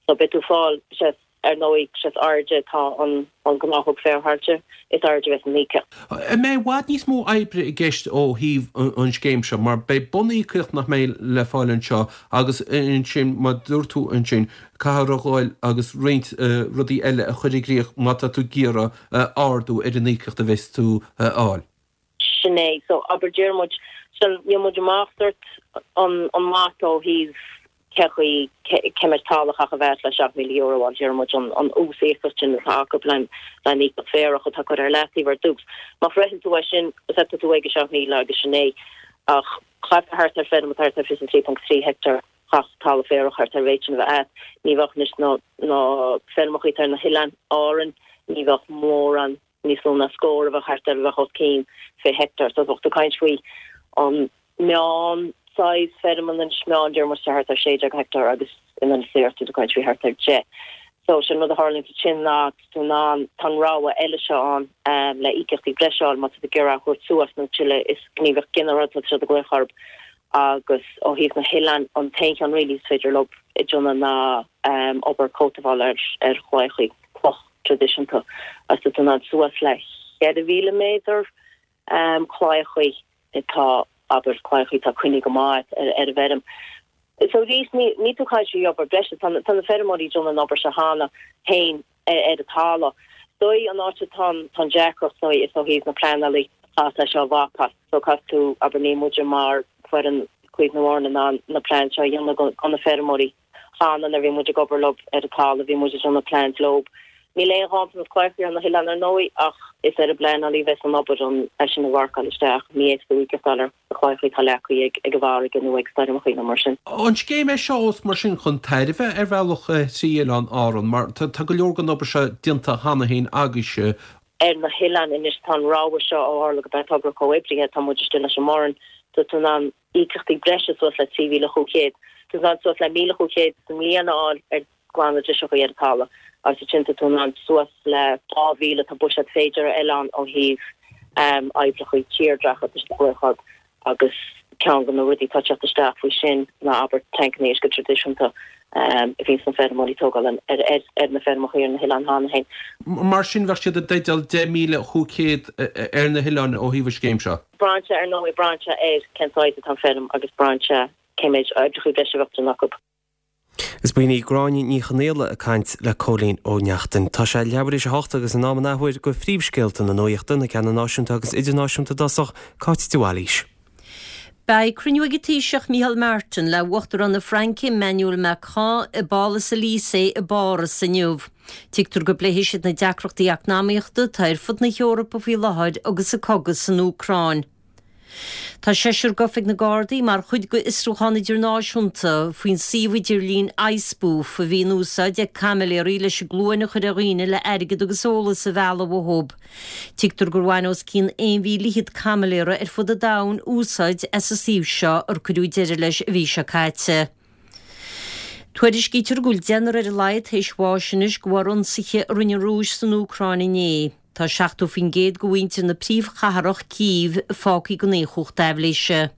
So beidh tú ag fáil, sé, ar ndóigh, sé is airde atá an an gnáthóg féarthailte, is airde a bheas an íocaíocht. An mbeidh i bhfad níos mó oibre i gceist ó thaobh an scéim seo mar beidh bun-íocaíocht nach mbeidh le fáil anseo agus ansin mar dúirt tú ansin caithfear a ghabháil agus roinnt rudaí eile a chur i gcrích má tá tú ag iarraidh ardú ar an íocaíocht a bheas tú a fháil. Sin é. So, abair, deir muid, sin, níl muid amach sort an, an mata ó thaobh cé chaoi, cé méid talamh a chaithfidh a bheith le €7,000 a fháil, deir muid an, an uas-íocaíocht sin atá acu le, le an íocaíocht féarach atá curtha ar leataobh ar dtús. Má shroicheann tú é sin, is ea tá tú ag 7,000 agus sin é. Ach chaithfeá thart ar feirm atá thart ar 23.3 heicteár, chaithfeadh talamh féarach thart ar an mhéid sin a bheith agat. Ní bheadh anois na, na feirmeacha atá ar na hoileáin Árann, ní bheadh mórán níos lú ná scór a bheadh thart ar a bheadh os cionn 20 heicteár. So bheadh tú ag caint faoi an meán size feirm anois, meán deir muid thart ar 16 heicteár agus in Inis Oírr tá tú ag caint faoi thart ar 10. So sin rud a tharlaíonn ansin ná tá tú in ann, tá an rogha eile seo ann le íocaíochtaí breise a fháil má tá tú ag iarraidh a thabhairt suas nó tuilleadh is gníomhaíocht ghinearálta atá siad ag glaoch orthu agus ó thaobh na hoileáin an t-aon cheann really is féidir leo a dhéanamh ná obair cótabháil ar ar chlaíochaí cloch. traidisiúnta agus tá tú in ann suas le 4,000 méadar claíochaí atá, abair, claíochaí atá coinnithe go maith ar an bhfeirm. So arís, ní tú ag caint faoi obair breise, tá na feirmeoirí ag déanamh an obair seo cheana féin ar an talamh. Is dóigh an áit atá an deacracht, is dóigh, is ó thaobh na pleanálaí atá leis seo a mhapáil. So caithfidh tú, abair, níl muide mar foireann Caomhnú Árann in ann na plean seo a dhéanamh do na feirmeoirí. Cheana nuair a bhí muid ag obair leo ar an talamh, bhí muid ag déanamh plans leo. Níl aon ghanntanas claíochaí ar na hoileáin ar ndóigh ach is ar an bpleanálaí a bheas an obair an é sin a mharcáil isteach. Ní fhéadfaí tú íocaíocht a fháil ar chlaíochaí atá leagtha ag an bhfarraige nó ag stoirmeachaí nó mar sin. An scéim é seo ós mar sin chun tairbhe ar bhealach thrí Oileáin Árann mar tá go leor den obair seo déanta cheana féin agaibhse. Ar na hoileáin anois tá an rogha seo ó tharla gurb é togra comhoibrithe tá muid istigh leis an mBoireann tá tú in ann íocaíochtaí breise suas le 3,500. Tá tú in ann suas le 1,500 sa mbliain a fháil ar ghlanadh driseachaí ar an talamh agus ansin tá tú in ann suas le 2,000 tá buiséad féidir ar oileán ó thaobh oibreachaí tírdhreacha tá siad ag glaoch agus ceann de na rudaí atá ag teacht isteach faoi sin ná abair tancanna uisce traidisiúnta a bhíonns na feirmeoirí ag tógáil ar na feirmeacha ar na hoileáin cheana féin. Mar sin bheadh siad i dteideal 10,500 ar na hoileáin ó thaobh an scéim seo. Braitheann sé ar ndóigh, braitheann sé ar cén saghas atá an feirm agus braitheann sé cé méid oibreacha breise a bheadh déanta acu. Is b'in í Gráinne Ní Chonaola ag caint le Cóilín Ó Neachtain. Tá sé leathuair théis a hocht agus in am an athuair do phríomhscéalta na nuachta, na ceanna náisiúnta agus idirnáisiúnta i dtosach, Cáit de Bhailís. Beidh cruinniú ag an Taoiseach Micheál Martin le Uachtarán na Fraince Emmanuel Macron i bPálas Elysée i bPáras inniu. Tuigtear go bpléifidh siad na deacrachtaí eacnamaíochta atá ar fud na hEorpa faoi láthair agus an cogadh san Úcráin. Tá seisear gafa ag na Gardaí mar chuid d'fhiosrúchán idirnáisiúnta faoin suíomh idirlín iSpoof a bhí in úsáid ag caimiléirí leis an gcluain a chur ar dhaoine le airgead agus eolas a mhealladh uathu. Tuigtear gur bhain os cionn 1,000 fhichead caimiléara ar fud an domhain úsáid as an suíomh seo ar cuireadh deireadh leis an mhí seo caite. Tuairiscítear go bhfuil deichniúr ar a laghad tar éis bháis anois de bharr ionsaithe a rinne an Rúis san Úcráin inné. Tá 70% de mhuintir na príomhchathrach, Cív, fágtha gan aon chumhacht aibhléise.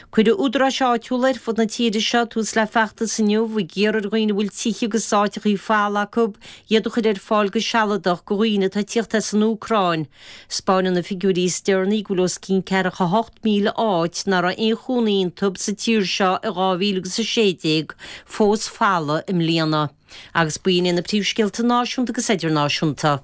Cuirfidh údaráis áitiúla ar fud na tíre seo tús le feachtas inniu ag iarraidh ar dhaoine a bhfuil tithe agus áiteachaí folamh acu iad a chur ar fáil go sealadach do dhaoine atá ag tíocht as an Úcráin. 'Spáineann na figiúirí is deireanaí go bhfuil os cionn 48,000 áit nach raibh aon chónaí iontu sa tír seo i 2016 fós folamh i mbliana. Agus b'in iad na príomhscéalta náisiúnta agus idirnáisiúnta.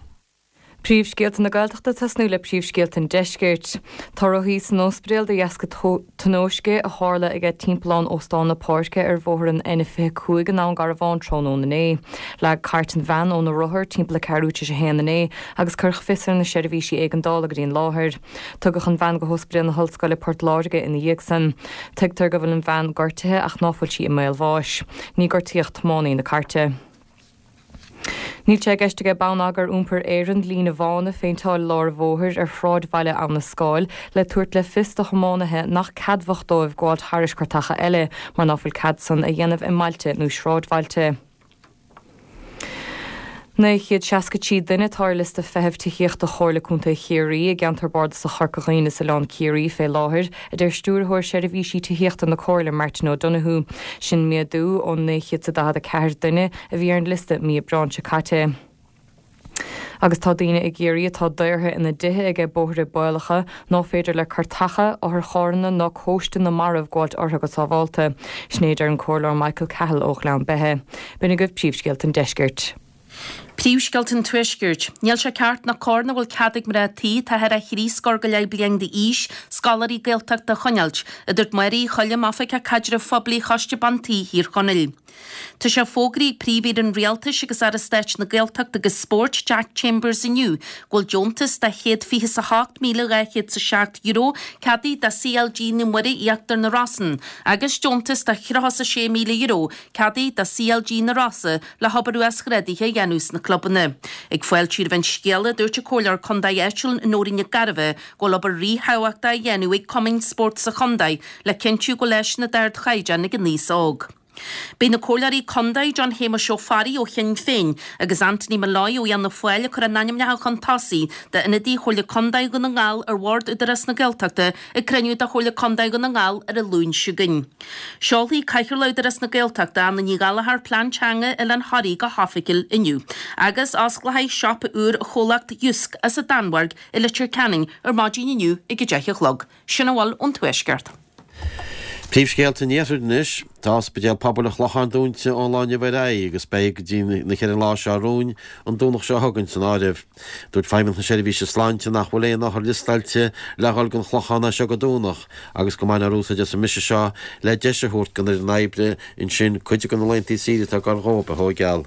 Príomhscéalta na Gaeltachta ag tosnú le príomhscéalta an Deiscirt. Tá rothaí san ospidéal de dheasca tionóisce a tharla aige timpeallán Óstán na Páirce ar bhóthar an N25 i nDún Garbhán tráthnóna inné. Leag cairt an bhean óna rothar timpeall a ceathrú tar éis a haon inné agus cuireadh fios ar na seirbhísí éigeandála go dtí an láthair. Tugadh an bhean go hOspidéal na hOllscoile Port Láirge ina dhiaidh san. Tuigtear go bhfuil an bhean gortaithe ach ná fuil sí i mbaol bháis. Ní gortaíodh tiománaí na cairte. Níl sé i gceist aige Bonneagar Iompair Éireann líne bhán a phéinteáil i lár an bhóthair ar shráidbhaile Abha na Scáil le tabhairt le fios do thiománaithe nach ceadmhach dóibh gabháilt thairis cairteacha eile mar ná fuil cead san a dhéanamh i mbailte nó sráidbhailte. 963 duine atá ar liosta feithimh tithíochta Chomhairle Contae Chiarraí i gceantar bardasach Chorca Dhuibhne is Oileán Ciarraí fé láthair, a deir Stiúrthóir Seirbhísí Tithíochta na Comhairle Martin O'Donoghue. Sin méadú ó 944 duine a bhí ar an liosta mí Aibreáin seo caite. Agus tá daoine i gCiarraí atá daortha ina dtithe aige bóithre baolacha ná féidir le cairteacha, otharcharranna ná cóiste na marbh gabháilt orthu go sábhálta. Sin é a deir an Comhairleoir Michael Cahill ó Ghleann Beithe. B'in agaibh príomhscéalta an deiscirt. Príomhscéalta an Tuaiscirt. Níl sé ceart ná cóir nach bhfuil cead ag mná tí atá thar a thrí scór go leith bliain d'aois scoláirí Gaeltachta a choinneáilt, a dúirt Máire Uí Choilm, Oifigeach Caidrimh Phoiblí Choiste Ban Tí Thír Chonaill. Tá sé fógraithe ag Príomh-Aoire an Rialtais agus Aire Stáit na Gaeltachta agus Spóirt, Jack Chambers inniu go bhfuil deontas de €128,207 ceadaithe do CLG Naomh Muire Íochtar na Rosann agus deontas de €36,000 ceadaithe do CLG na Rosa le hobair uasghrádaithe a dhéanamh sna clubanna. Ag fáiltiú roimh an scéala, dúirt an Comhairleoir Contae áitiúil Nóirín Nic Gairbheith go bhfuil obair ríthábhachtach á dhéanamh ag cumainn spóirt sa chontae le cinntiú go bhfuil áiseanna d'ardchaighdeán ag an aos óg. Beidh na Comhairleoirí Contae John Shéamuis Ó Fearraigh ó Shinn Féin agus Anthony Molloy ó Fhianna Fáil a cuireadh a n-ainmneacha chun tosaigh d'ionadaí Chomhairle Contae Dhún na nGall ar Bhord Údarás na Gaeltachta ag cruinniú de Chomhairle Contae Dhún na nGall ar an Luan seo chugainn. Seolfaidh Cathaoirleach Údarás na Gaeltachta, Anna Ní Ghallchóir, Plean Teanga Oileán Thoraí go hoifigiúil inniu agus osclóidh siopa úr chomhlacht Jysk as an Danmhairg i Leitir Ceanainn ar maidin inniu ag 10 a chlog. Sin a bhfuil ón Tuaisceart. Príomhscéalta an Iarthair anois. Tá Ospidéal Pobail an Chlocháin dúnta ón lá inniu ar aghaidh agus beidh go dtí an oíche ar an lá seo romhainn, an Domhnach seo chugainn, san áireamh. Dúirt Feidhmeannacht na Seirbhíse Sláinte nach bhfuil aon othar liostáilte le dhul don Chlochán as seo go Domhnach agus go mbainfear úsáid as an mbriseadh seo le deis a thabhairt don fhoireann oibre ansin cuid de na laethanta saoire atá ag dul dhóibh a thóigeáil.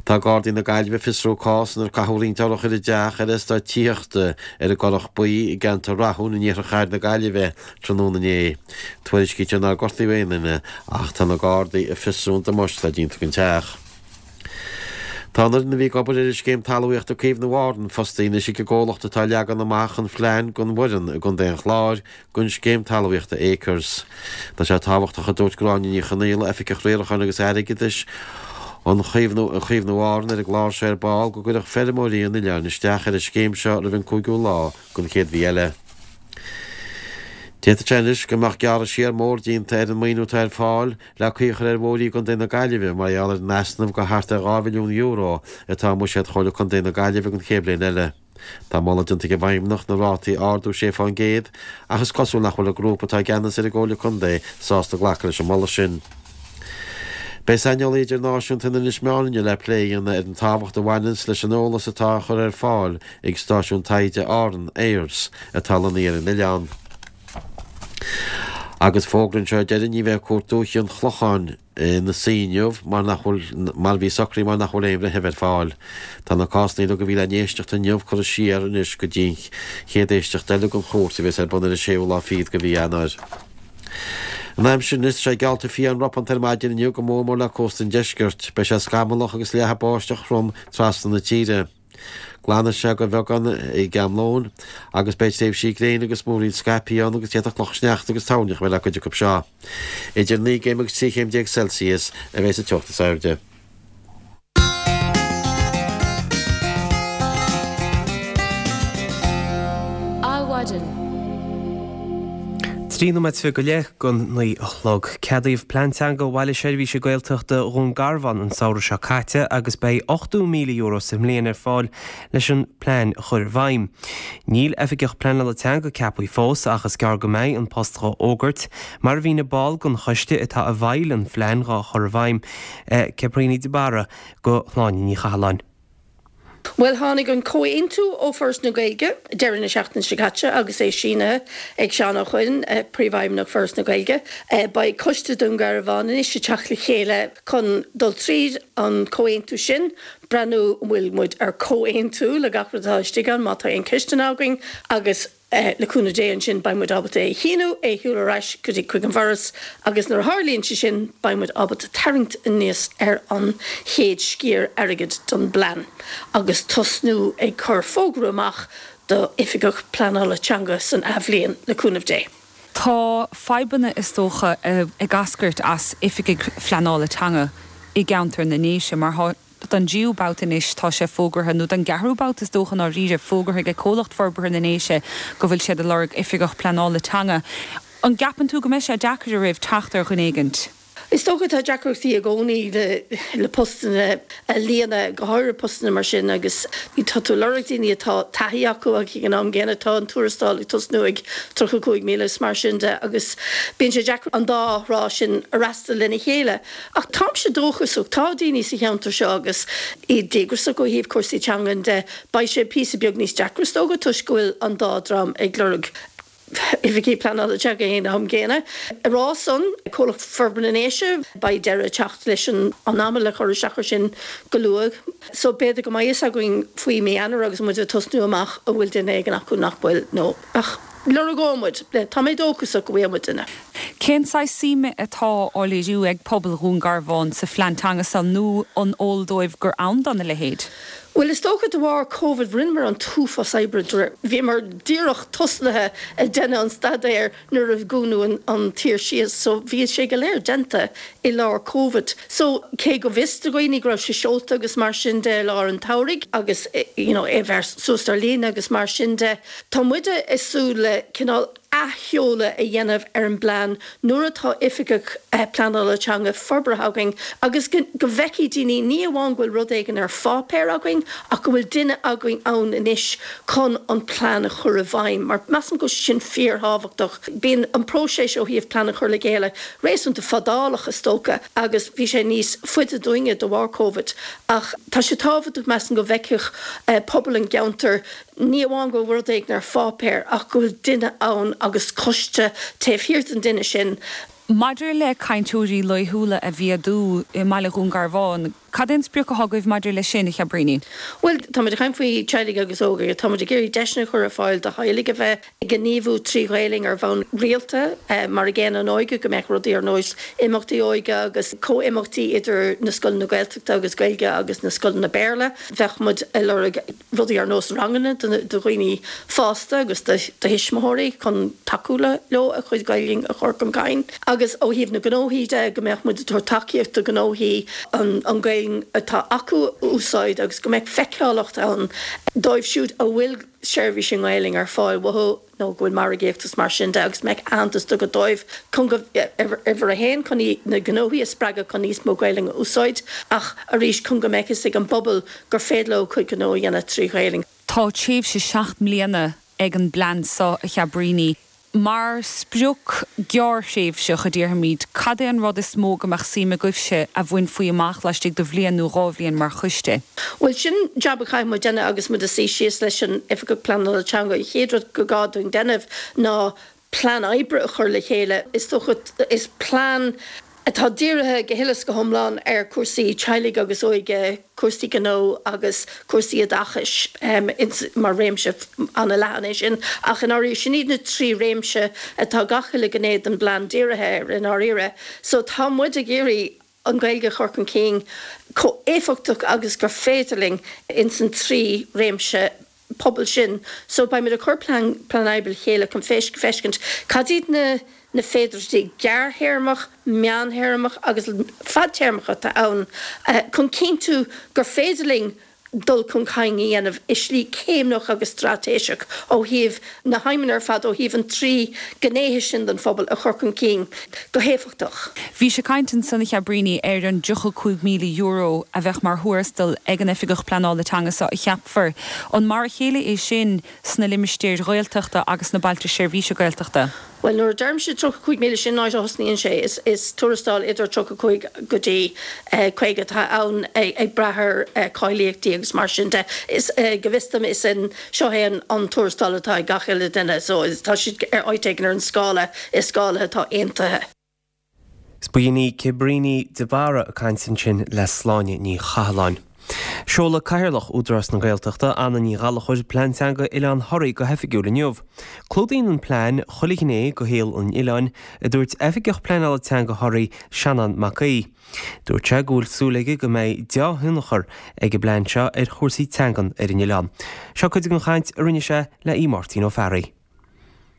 Tá Gardaí na Gaillimhe ag fiosrú cás inar caitheadh roinnt urchar i dteach ar eastát tithíochta ar an gCurrach Buí i gceantar Rathúin in iarthar chathair na Gaillimhe tráthnóna inné. Tuairiscítear nár gortaíodh aon duine ach tá na Gardaí ag fiosrú an damáiste atá déanta don teach. Tá an fhoireann a bhí ag obair ar an scéim talmhaíochta Caomhnú Árann fostaithe anois ag an gcomhlacht atá ag leagan amach an phlean don Bhoireann i gContae an Chláir don scéim talmhaíochta Acres. Tá sé tábhachtach, a dúirt Gráinne Ní Chonaola, Oifigeach Riaracháin agus Airgeadais an Chaomhnú Chaomhnú Árann ar an gclár seo ar ball, go gcuirfeadh feirmeoirí an oileáin isteach ar an scéim seo roimh an 5ú lá den chéad mhí eile. D'fhéadfadh sé anois go mbeadh gearradh siar mór déanta ar an maoiniú atá ar fáil le caoi a chur ar bhóithrí i gContae na Gaillimhe mar gheall ar an easnamh de thart ar €2 mhilliún atá i mbuiséad Chomhairle Contae na Gaillimhe don chéad bhliain eile. Tá moladh déanta ag an bhFeidhmeannacht na rátaí a ardú 6% ach is cosúil nach bhfuil an grúpa atá i gceannas ar an gComhairle Contae sásta glacadh leis an moladh sin. Beidh saineolaí idirnáisiúnta in Inis Meáin inniu le plé a dhéanamh ar an tábhacht a bhaineanns leis an eolas atá á chur ar fáil ag stáisiún taighde Árann, AIRS, atá lonnaithe ar an oileán. Agus fógra anseo a deireann ní bheidh Cúirt Dúiche an Chlocháin ina suí inniu mar nach bhfuil, mar a bhí socraithe mar nach bhfuil aon bhreitheamh ar fáil. Tá na cásanna uilig a bhí le n-éisteacht inniu curtha siar anois go dtí an chéad éisteacht eile den chúirt a bheas ar bun ar an séú lá fichead de mhí Eanáir. An aimsir anois, tá sé geallta fiáin ropánta ar maidin inniu go mór mór le cósta an deiscirt. Beidh sé scamallach agus leathfaidh báisteach throm trasna na tíre. Glanfaidh sé de bheagán ag am lóin agus beidh tréimhsí gréine agus múraíl scaipthe ann agus d'fhéadfadh clocha sneachta agus toirneach a bheith le cuid acu seo. Idir 9 gcéim agus 13 chéim Celsius a bheidh sa teocht is airde. Adhmhaidin. 13 nóiméad go leith don 9 a chlog. Ceadaíodh Plean Teanga Bhaile Seirbhíse Gaeltachta Dhún Garbhán an samhradh seo caite agus beidh €80,000 sa mbliain ar fáil leis an bplean a chur i bhfeidhm. Níl Oifigeach Pleanála Teanga ceaptha fós ach is gearr go mbeidh an post dhá fhógairt, mar a mhínigh ball den choiste atá i bhfeighil an phlean dhá chur i bhfeidhm, Caipriona de Barra, do Shláine Ní Chathalláin. Bhuel, tháinig an comhaontú ó Foras na Gaeilge deireadh na seachtaine seo caite agus é sínithe ag Seán Ó Coinn, Príomhfheidhmeannach Foras na Gaeilge. Beidh Coiste Dún Garbhán anois ag teacht le chéile chun dul tríd an comhaontú sin, breathnú an bhfuil muid ar comhaontú le gach rud atá istigh ann, má tá aon ceisteanna againn agus. Le cúnamh Dé ansin beidh muid ábalta é a shíniú, é a sheoladh ar ais go dtí chuig an bhForas agus nuair a tharlaíonn sé sin beidh muid ábalta tarraingt aníos ar an chéad sciar airgid don bplean agus tosnú ag cur fógra amach do Oifigeach Pleanála Teanga san athbhliain, le cúnamh Dé. Tá fadhbanna is dócha ag eascairt as oifigigh phleanála teanga i gceantar na nDéise mar tá Don dtríú babhta anois tá sé fógartha, nó don gceathrú babhta is dócha i ndáiríre, fógartha ag Comhlacht Forbartha na nDéise go bhfuil siad ag lorg Oifigeach Pleanála Teanga. An gceapann tú go mbeidh sé deacair oraibh teacht ar dhuine éigint? Is dócha tá deacrachtaí i gcónaí le postanna a líonadh, go háirithe postanna mar sin agus tá tú ag lorg daoine atá taithí acu ach ag an am gcéanna tá an tuarastal ag tosnú ag 35,000 is mar sin de agus bíonn sé deacair an dá thrá sin a fhreastal lena chéile. Ach táimse dóchasach, tá daoine sa cheantar seo agus iad díograiseach ó thaobh cúrsaí teangan de. Beidh sé píosa beag níos deacra is dócha toisc go bhfuil an dá dream ag lorg oifigigh pleanála teanga ag an am gcéanna. Á rá san, Comhlacht Forbartha na nDéise, beidh deireadh ag teacht leis an am le cur isteach air sin go luath. So b'fhéidir go mbeidh fhios againn faoi mí Eanáir agus muid ag tosnú amach an bhfuil duine éigin acu nach bhfuil nó ach lorgóidh muid. Tá mé dóchasach go bhfaighidh muid duine. Cén saghas suime atá á léiriú ag pobal Dhún Garbhán sa phlean teanga seo nó an eol dóibh gur ann dona leithéid? Bhuel, is dócha de bharr Covid rinneamar an t-uafás oibre de réir, bhíomar díreach tosnaithe ag déanamh an staidéir nuair a dúnadh an tír síos so bhí sé go léir déanta i lár Covid. So cé go bhfios do dhaoine go raibh sé seolta agus mar sin de i lár an tsamhraidh agus you know é a bheith suas ar líne agus mar sin de, tá muide ag súil le cineál athsheoladh a dhéanamh ar an bplean nuair atá oifigeach pleanála teanga forbartha againn agus go bhfeicfidh daoine ní amháin go bhfuil rud éigin ar pháipéar againn. ach go bhfuil duine againn ann anois chun an plean a chur i bhfeidhm, mar measaim go bhfuil sé sin fíorthábhachtach. Bíonn an próiseas ó thaobh plean a chur le chéile réasúnta fadálach is dócha agus bhí sé níos faide dúinne de bharr Covid ach tá sé tábhachtach measaim go bhfeicfeadh pobal an gceantair ní amháin go bhfuil rud éigin ar pháipéar ach go bhfuil duine ann agus coiste taobh thiar den duine sin. Maidir le cainteoirí laethúla a mhéadú i mbaile Dhún Garbhán, cad é an sprioc atá agaibh maidir leis sin, a Chabríní? Bhuel, táimid ag caint faoi teaghlaigh agus óige. Táimid ag iarraidh deiseanna a chur ar fáil do theaghlaigh a bheith ag gníomhú trí Ghaelainn ar bhonn rialta, mar an gcéanna an óige, go mbeadh rudaí ar nós imeachtaí óige agus comhimeachtaí idir na scoileanna Gaeltachta agus Gaeilge agus na scoileanna Béarla. Bheadh muid ag lorg. rudaí ar nós ranganna do dhaoine fásta agus do thuismitheoirí chun tacú leo a chuid Gaeilge a chur chun cinn. Agus ó thaobh na gnóthaí de, go mbeadh muid ag tabhairt tacaíocht do ghnóthaí an Ghaeilge atá acu a úsáid agus go mbeadh feiceálacht ann dóibh siúd a bhfuil seirbhís i nGaeilge ar fáil uathu. nó go bhfuil margaíocht is mar sin de agus go mbeadh aitheantas tugtha dóibh chun go, uimhir a haon, chun na gnóthaí a spreagadh chun níos mó Gaelainn a úsáid ach arís chun go mbeadh fhios ag an bpobal gur féidir leo a gcuid gnó a dhéanamh trí Ghaelainn. Tá tréimhse 7 mbliana ag an bplean seo, a Chabríní. Mar sprioc gearrthréimhseach, a déarfaimid, cad é an rud is mó go mbeadh suim agaibhse a bhainfí amach laistigh de bhliain nó dhá bhliain mar choiste? Bhuel, sin jab a chaithfidh muid déanamh agus muid ag suí síos leis an Oifigeach Pleanála Teanga. An chéad rud gur gá dúinn déanamh ná plean oibre a chur le chéile. Is dócha, is plean atá dírithe go huile is go hiomlán ar chúrsaí teaghlaigh agus óige, cúrsaí gnó agus cúrsaí oideachais, mar réimse an-leathan é sin. Ach i ndáiríre, sin iad na trí réimse atá gach uile ghné den bplean dírithe air i ndáiríre. So tá muid ag iarraidh an Ghaeilge a chur chun cinn chomh éifeachtach agus gur féidir linn ins an trí réimse pobail sin. So beidh muid ag cur plean plean oibre le chéile chun feiscint cad iad na na féidearthachtaí gearrthéarmach, meántéarmach agus fadtéarmach atá ann chun cinntiú gur féidir linn dul chun cinn a dhéanamh i slí céimneach agus straitéiseach ó thaobh na haidhmeanna ar fad, ó thaobh an trí ghnéithe sin den phobal a chur chun cinn go héifeachtach. Bhís ag caint ansan, a Chabríní, ar an €35,000 a bheadh mar thuarastal ag an Oifigeach Pleanála Teanga seo a cheapfar. An mar a chéile é sin sna limistéir Ghaeltachta agus sna Bailte Seirbhíse Gaeltachta? Bhuel, nuair a deirimse 35,000, sin an áit a thosnaíonn sé. Is tuarastal idir 35 go dtí 50 atá ann, ag brath ar cáilíochtaí agus mar sin de. Is, go bhfios dom, is é seo é an tuarastal atá ag gach uile duine, so tá siad ar áit éigin ar an scála, is scála atá aontaithe. B'in í Cabríní de Barra ag caint ansin le Sláine Ní Chathalláin. Seolfaidh Cathaoirleach Údarás na Gaeltachta, Anna Ní Ghallchóir, Plean Teanga Oileán Thoraí go hoifigiúil inniu. Clúdaíonn an plean chuile ghné de shaol an oileáin, a dúirt Oifigeach Pleanála Teanga Thoraí, Seanán Mac Aoidh. Dúirt sé go bhfuil súil aige go mbeidh dea-thionchar ag an bplean seo ar chúrsaí teangan ar an oileán. Seo cuid den chaint a rinne sé le Aodh Máirtín Ó Fearraigh.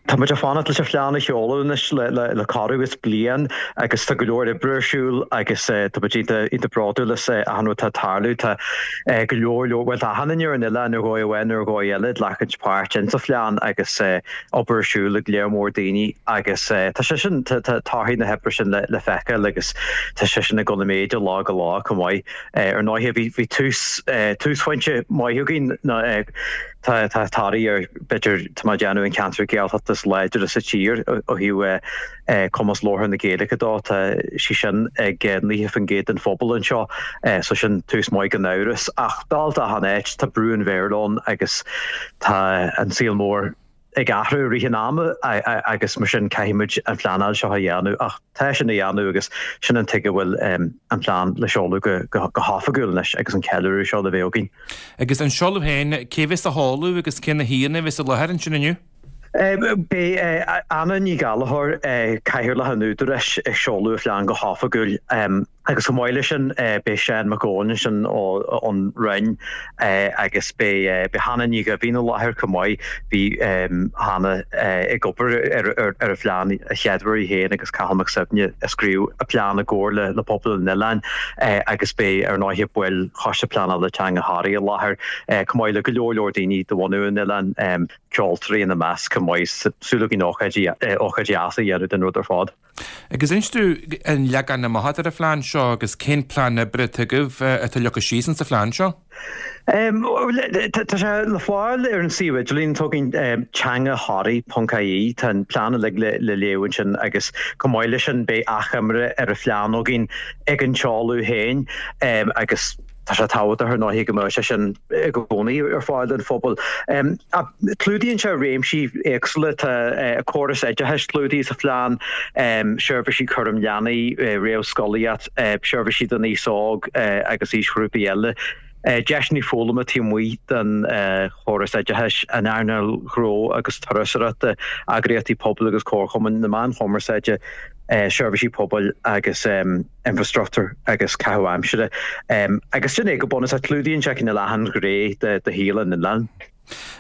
Tá muid ag fanacht leis an phlean a sheoladh anois le corradh is bliain agus tá go leor oibre ar siúl agus tá muid iontach bródúil as achan rud atá ag tarlú. Tá go leor leor, bhuel tá achan duine ar an oileán ar dhóigh amháin nó ar dhóigh eile ag glacaint páirt in sa phlean agus obair ar siúl ag léar mór daoine agus tá sé sin, tá torthaí na hoibre sin le feiceáil agus tá sé sin ag dul i méid ó lá go lá chomh maith. Ar ndóighe bhí tús, túsphointe maith againn ná Tá Toraigh ar, b'fhéidir, tá mé ag déanamh, an ceantar Gaeltachta is láidre sa tír ó thaobh cumas labhartha na Gaeilge de. Tá sí sin ag 90% den phobal anseo, so sin tús maith gan amhras. Ach dálta achan áit, tá brú an Bhéarla ann agus tá an saol mór ag athrú i rith an ama agus mar sin caithfidh muid an phleanáil seo a dhéanamh. Ach tá sin á dhéanamh agus sin an tuige a bhfuil an plean le seoladh go hoifigiúil anois agus an ceiliúradh seo le bheith againn. Agus an seoladh féin, cé bheas á sheoladh agus cé na haíonna a bheas i láthair ansin inniu? Beidh Anna Ní Ghallchóir, Cathaoirleach an Údaráis, ag seoladh an phlean go hoifigiúil agus chomh maith leis sin beidh Seán Mac Eoin ansin ón Roinn agus beidh Hannah Ní Ghaibhín i láthair chomh maith. Bhí Hannah ag obair ar an phlean a chéaduair í féin agus Cathal Mac Suibhne a scríobh an plean i gcomhar le pobal an oileáin agus beidh ar ndóighe baill Choiste Pleanála Teanga Thoraí i láthair chomh maith le go leor leor daoine de bhunadh an oileáin, ceoltóirí ina measc chomh maith. Súil againn ócáid deas a dhéanamh den rud ar fad. Agus inis domh an leagan amach atá ar an phlean seo agus cén plean oibre atá agaibh atá leagtha síos insa phlean seo? Tá sé le fáil ar an suíomh idirlín atá againn, teangaThoraí.ie. Tá an plean uilig le léamh ansin agus chomh maith leis sin beidh achoimre ar an phlean againn ag an seoladh féin agus Tá sé tábhachtach ar ndóigh go mbeadh sé sin i gcónaí ar fáil don phobal. Ach clúdaíonn sé réimsí éagsúla, tá córas oideachais clúdaithe sa phlean, seirbhísí cúraim leanaí, réamhscolaíocht, seirbhísí don aos óg agus aoisghrúpaí eile, deiseanna foghlama taobh amuigh den chóras oideachais, an earnáil ghnó agus turasóireachta, eagraíochtaí pobail agus comharchumainn, na meáin chumarsáide, seirbhísí pobail agus. infreastruchtúr agus caitheamh aimsire. Agus sin é go bunúsach, clúdaíonn sé cineál achan ghné de shaol an oileáin.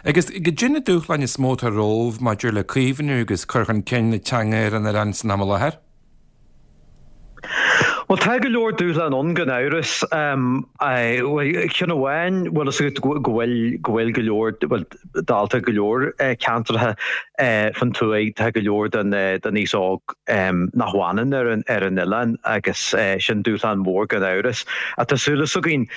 Agus goidé na dúshláin is mó atá romhaibh maidir le caomhnú agus cur chun cinn na teanga ar an oileán san am i láthair? Bhuel, tá go leor dúshlán ann gan amhras. Ceann amháin, bhfuil fhios agat go bhfuil go bhfuil go leor, bhuel, dálta go leor ceantracha fan tuaith, tá go leor den aos óg nach bhfanann ar an ar an oileán agus sin dúshlán mór gan amhras. Ach tá súil againn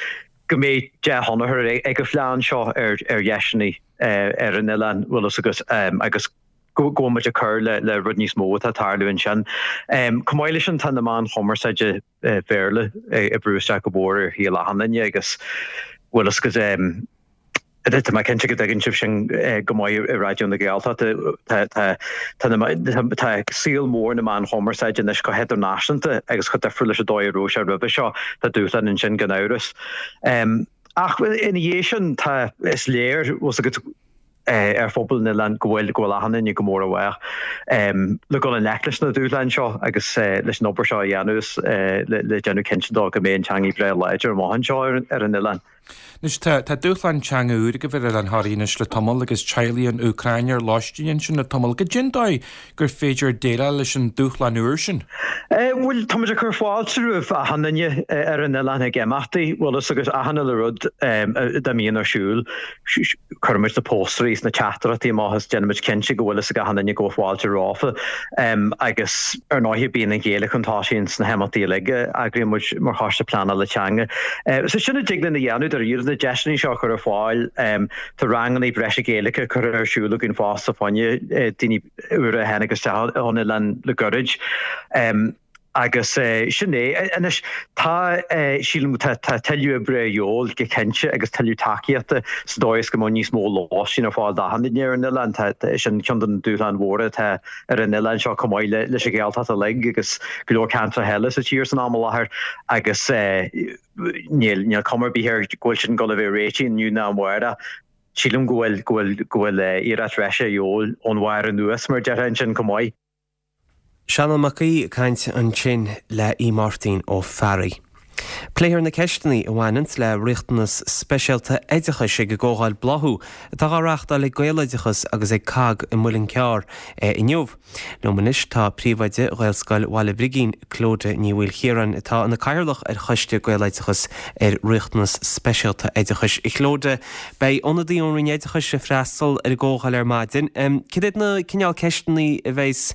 go mbeidh dea-thionchar ag an phlean seo ar ar dheiseanna ar an oileán, bhfuil fhios agat, agus go bhfuil muid ag cur le le rud níos mó atá ag tarlú ansin. Chomh maith leis sin tá na meáin chumarsáide Bhéarla ag brú isteach go mór ar shaol achan duine agus bhfuil fhios agat, Tá mé cinnte go dtuigeann sibh sin go maith i Raidió na Gaeltachta. Tá saol mór na meán chumarsáide anois chomh hidirnáisiúnta agus chomh difriúil leis an dóigh a raibh sé roimhe seo. Tá dúshlán ansin gan amhras. Ach ina dhiaidh sin, tá, is léir, bhfuil fhios agat, ar phobal an oileáin go bhfuil, go bhfuil achan duine go mór i bhfách le dul i ngleic leis na dúshláin seo agus leis an obair seo a dhéanamh is le déanamh cinnte de go mbeidh an teangaidh breá láidir amach anseo ar an oileán. Anois, tá, tá dúshlán teanga úr agaibh ar Oileán Thoraí anois le tamall agus teaghlaigh ón Úcráin ar lóistín ansin le tamall. Goidé an dóigh gur féidir déileáil leis an dúshlán úr sin? Bhuel, tá muid ag cur fáilte roimh achan duine ar an oileán ag imeachtaí, bhfuil fhios agat, achan uile rud dá mbíonn ar siúl. Cuirimid na póstaerí is na teachtaireachtaí amach is déanaimid cinnte go bhfuil fhios ag achan duine go bhfuil fáilte rompu. Agus ar ndóighe bíonn an Ghaeilge chun tosaigh ins na himeachtaí uilig a eagraíonn muid mar Choiste Pleanála Teanga. So sin a dtig linn a dhéanamh dáiríre, na deiseanna seo a chur ar fáil. Tá ranganna breise Gaeilge curtha ar siúl againn fosta fá choinne daoine úra a tháinig isteach ón oileán le gairid. Agus sin é. Anois, tá, sílim, tá tuilleadh oibre a dhíobháil go cinnte agus tuilleadh tacaíochta sa dóigh is go mbeadh níos mó lóistín ar fáil d'achan duine ar an oileán. Tá, sin ceann de na dúshláin mhóra atá ar an oileán seo chomh maith leis an Ghaeltacht uilig agus go leor ceantracha eile sa tír san am i láthair agus níl, níl cuma ar bith air go bhfuil sin ag dul a bheith réitithe inniu ná amárach. Sílim go bhfuil, go bhfuil, go bhfuil iarracht bhreise a dhíobháil ón bharr anuas mar a déarfá ansin chomh maith. Seanán Mac Aoidh ag caint ansin le Aodh Máirtín Ó Fearraigh. Pléifear na ceisteanna a bhaineanns le riachtanas speisialta oideachais ag an gcomhdháil Bláthú atá á reáchtáil ag Gaeloideachas agus ag cogg i Muileann Cearr inniu. Liom anois tá príomhoide Ghaelscoil Bhaile Brigín, Clodagh Ní Mhaoilchiaráin, atá ina cathaoirleach ar choiste Gaeloideachas ar riachtanas speisialta oideachais. A Chlodagh, beidh ionadaí ón Roinn Oideachais ag freastal ar an gcomhdháil ar maidin. Cad iad na cineál ceisteanna a bheas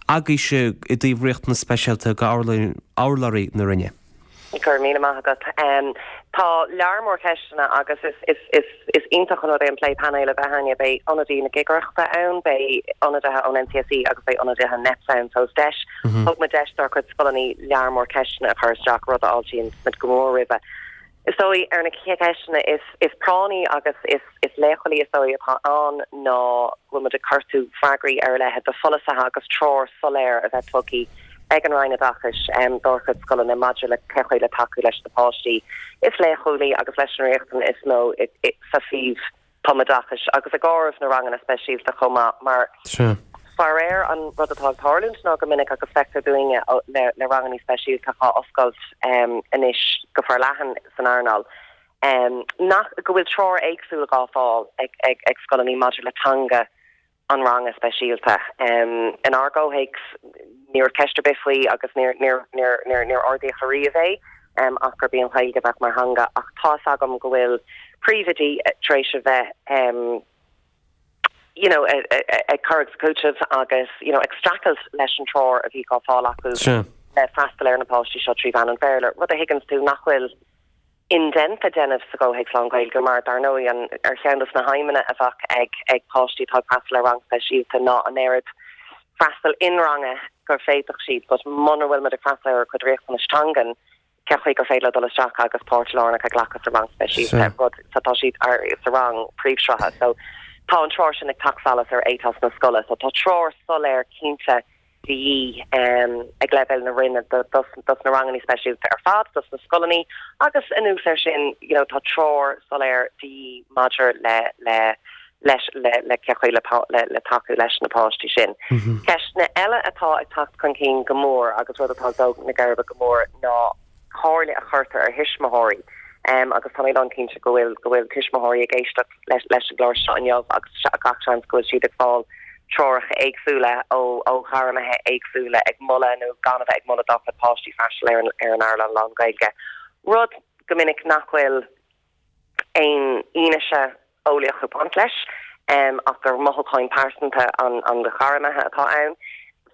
agaibhse i dtaobh riachtanas speisialta go urlabhraí na Roinne? Go raibh míle maith agat. Tá lear mór ceisteanna agus is iontach an rud é an plé painéil a bheith againne. Beidh ionadaí na Cigireachta ann, beidh ionadaithe ón NCSE agus beidh ionadaithe NEPS ann. So is deis, thug muid deis dár gcuid scoileanna lear mór ceisteanna a chur isteach, rud a fháiltíonn muid go mór roimhe. Is dóigh, ar na ceisteanna is práinní agus is leochailí is dóigh atá ann ná go bhfuil muid ag cuartú freagraí ar a leithéid de pholasaithe agus treoir soiléir a bheith tugtha ag an Roinn Oideachais dár gcuid scoileanna maidir le cé chaoi le tacú leis na páistí is leochailí agus leis an riachtanas is mó sa suíomh tumoideachais agus ag áireamh na ranganna speisialta chomh maith mar faraor an rud atá ag tarlúint ná go minic agus feictear dúinne le ranganna speisialta á oscailt anois go forleathan san earnáil nach go bhfuil treoir éagsúil dhá fáil ag scoileanna maidir le teanga an ranga speisialta. Inár gcomhthéacs, ní raibh ceist ar bith faoi agus níor níor ardaíodh ariamh é ach gurb í an Ghaeilge a bheadh mar theanga ach tá's agam go bhfuil príomhoidí tar éis a bheith. you know, ag cur agus ag cúiteamh agus, you know, ag streachailt leis an treoir a bhí á fáil acu le freastal ar na páistí seo 3 mheán an Bhéarla, rud a thuigeanns tú nach bhfuil indéanta déanamh sa gcomhthéacs lán-Ghaeilge mar, dar ndóigh, an, ar cheann dos na haidhmeanna a bheadh ag, ag páistí atá ag freastal ar rang speisialta ná an oiread freastal in-ranga gur féadfadh siad but muna bhfuil muid ag freastal ar a gcuid riachtanais teangan, cén chaoi gur féidir leo dul isteach agus páirt lárnach a ghlacadh sa rang speisialta, rud so tá siad ar sa rang príomhshrutha. So tá an treoir sin ag teacht salach ar ethos na scoile. So tá treoir soiléir cinnte de dhíth ag leibhéal na Roinne dos dos na ranganna speisialta ar fad, dos na scoileanna agus anuas air sin you know tá treoir soiléir de dhíth maidir le le leis le le cén chaoi le le le tacú leis na páistí sin. Ceisteanna eile atá ag teacht chun cinn go mór agus rud atá ag dó na geirbe go mór ná comhairle a chuirtear ar thuismitheoirí agus tá mé lán cinnte go bhfuil go bhfuil tuismitheoirí ag éisteacht leis leis an gclár seo inniu agus gach seans go bhfuil siad ag fáil treoracha éagsúla ó ó ghairmithe éagsúla ag moladh nó gan a bheith ag moladh dá gcuid páistí freastal ar an ar an leabharlann lán-Ghaeilge. Rud go minic nach bhfuil aon fhianaise eolaíoch ag baint leis, ach gur mothúcháin pearsanta an ghairmithe atá ann.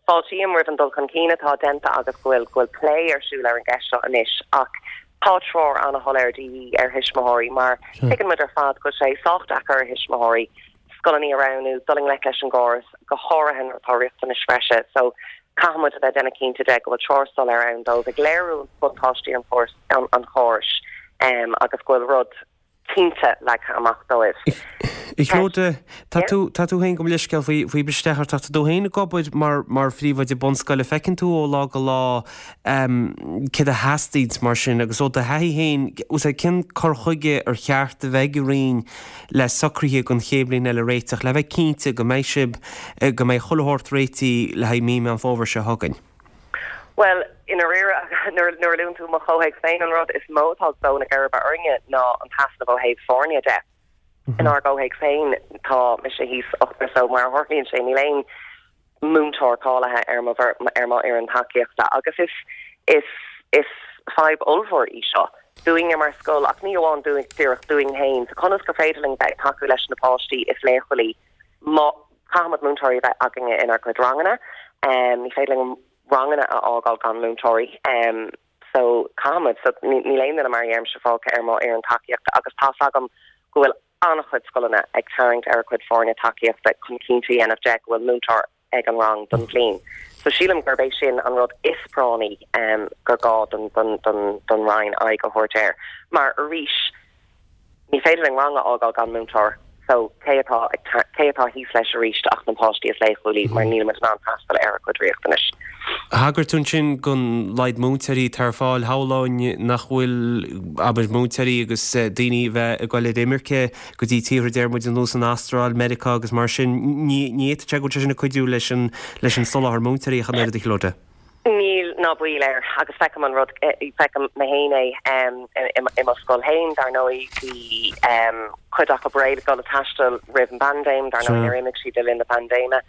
Fáiltím roimh an dul chun cinn atá déanta agus go bhfuil go bhfuil plé ar siúl ar an gceist seo anois ach tá treoir an-shoiléir de dhíth ar thuismitheoirí mar tuigeann muid ar fad go bhfuil sé sách deacair ar thuismitheoirí scoileanna a roghnú, dul i ngleic leis an gcóras, go háirithe nuair atá riachtanais bhreise. So caithfidh muid a bheith ag déanamh cinnte de go bhfuil treoir soiléir ann dóibh ag léiriú buntáistí an an chórais agus go bhfuil rud cinnte leagtha amach dóibh. A Chlodagh, tá tú, tá tú féin, gabh mo leithscéal faoi, faoi briseadh isteach ort ach tá tú féin ag obair mar, mar phríomhoide bunscoile, feiceann tú ó lá go lá céard a theastaíonns mar sin agus ó do thaithí féin, cén cur chuige ar cheart a bheith ag an Roinn le socruithe don chéad bhliain eile a réiteach, le bheith cinnte go mbeidh sibh, go mbeidh chuile shórt réitithe le haghaidh mí Meán Fómhair seo chugainn? Bhuel, i ndáiríre, nuair a luann tú mo chomhthéacs féin, an rud is mó atá ag dó na geirbe orainne ná an t-easnamh ó thaobh foirne de. Inár gcomhthéacs féin, tá mise thíos ochtar so mar a tharlaíonn sé, níl aon múinteoir cáilithe ar mo ar mo fhoireann tacaíochta agus is is is fadhb ollmhór í seo dúinne mar scoil ach ní amháin dúinn, díreach dúinn féin. So conas gur féidir linn bheith ag tacú leis na páistí is leochailí má Caithfimid múinteoirí a bheith againne inár gcuid ranganna. Ní féidir linn ranganna a fhágáil gan múinteoirí. So caithfimid. So níl aon duine mar a dheirimse fágtha ar mo fhoireann tacaíochta agus tá's agam go bhfuil an-chuid scoileanna ag tarraingt ar a gcuid foirne tacaíochta chun cinnte a dhéanamh de go bhfuil múinteoir ag an rang don bhliain. So sílim gurb é sin an rud is práinní gur gá don don Roinn aghaidh a thabhairt air. Mar arís, Ní féidir linn rang a fhágáil gan múinteoir so cé atá ag cé atá thíos leis arís ach na páistí is leochailí mar níl muid in ann freastal ar a gcuid riachtanais. Thagair tú ansin don laghad múinteoirí atá ar fáil. Shamhlóinn nach bhfuil, abair, múinteoirí agus daoine a bheith ag dul ar imirce go dtí tíortha deir muid ar nós an Astráil, Meiriceá agus mar sin, ní ní fhéadfadh sé go bhfuil sé sin ag cuidiú leis an leis an soláthar múinteoirí ach an oiread a Chlodagh. Níl, ná baol air, agus feicim an rud, feicim mé féin é i mo scoil féin, dar ndóigh, bhí cuid acu réidh le dul ag taisteal roimh an bpaindéim, dar ndóigh níor imigh siad le linn na paindéime.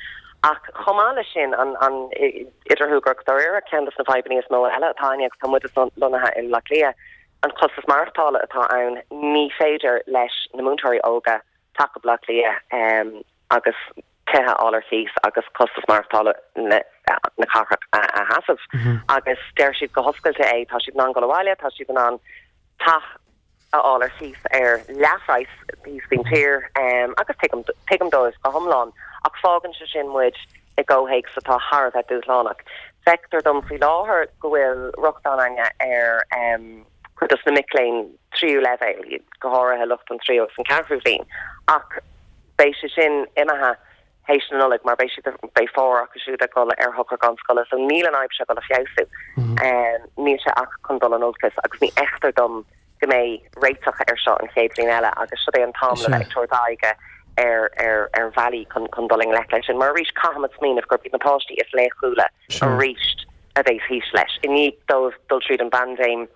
Ach chomh maith leis sin, an idir shúgradh agus dáiríre, ceann de na fadhbanna is mó eile atá againne agus tá muid lonnaithe i mBleá Cliath, an costas maireachtála atá ann, ní féidir leis na múinteoirí óga teacht go Bleá Cliath agus tithe a fháil ar cíos agus costas maireachtála na cathrach a sheasamh. Agus deir siad go hoscailte é, tá siad in ann dul abhaile, tá siad in ann teach a fháil ar cíos ar leathphraghas thíos faoin tír agus tuigim, tuigim dóibh go hiomlán. Ach fágann sé sin muid i gcomhthéacs atá thar a bheith dúshlánach. Feictear dom faoi láthair go bhfuil rochtain againne ar chuid dos na mic léinn tríú leibhéal, go háirithe lucht an tríú agus an ceathrú bhliain, ach beidh sé sin imithe théis na Nollag mar beidh siad, beidh formhór acu siúd ag dul ar shochar gan scoile so níl an fhadhb seo ag dul a feabhsú. Níl sé ach chun dul in olcas agus ní fheictear dom go mbeidh réiteach air seo an chéad bhliain eile agus seo é an t-am le bheith ag tabhairt aghaidhe ar ar ar bhealaí chun chun dul i ngleic leis sin mar arís caithfimid smaoineamh gurb iad na páistí is leochailí arís a bheas thíos leis i ndiaidh dóibh dul tríd an bpaindéim.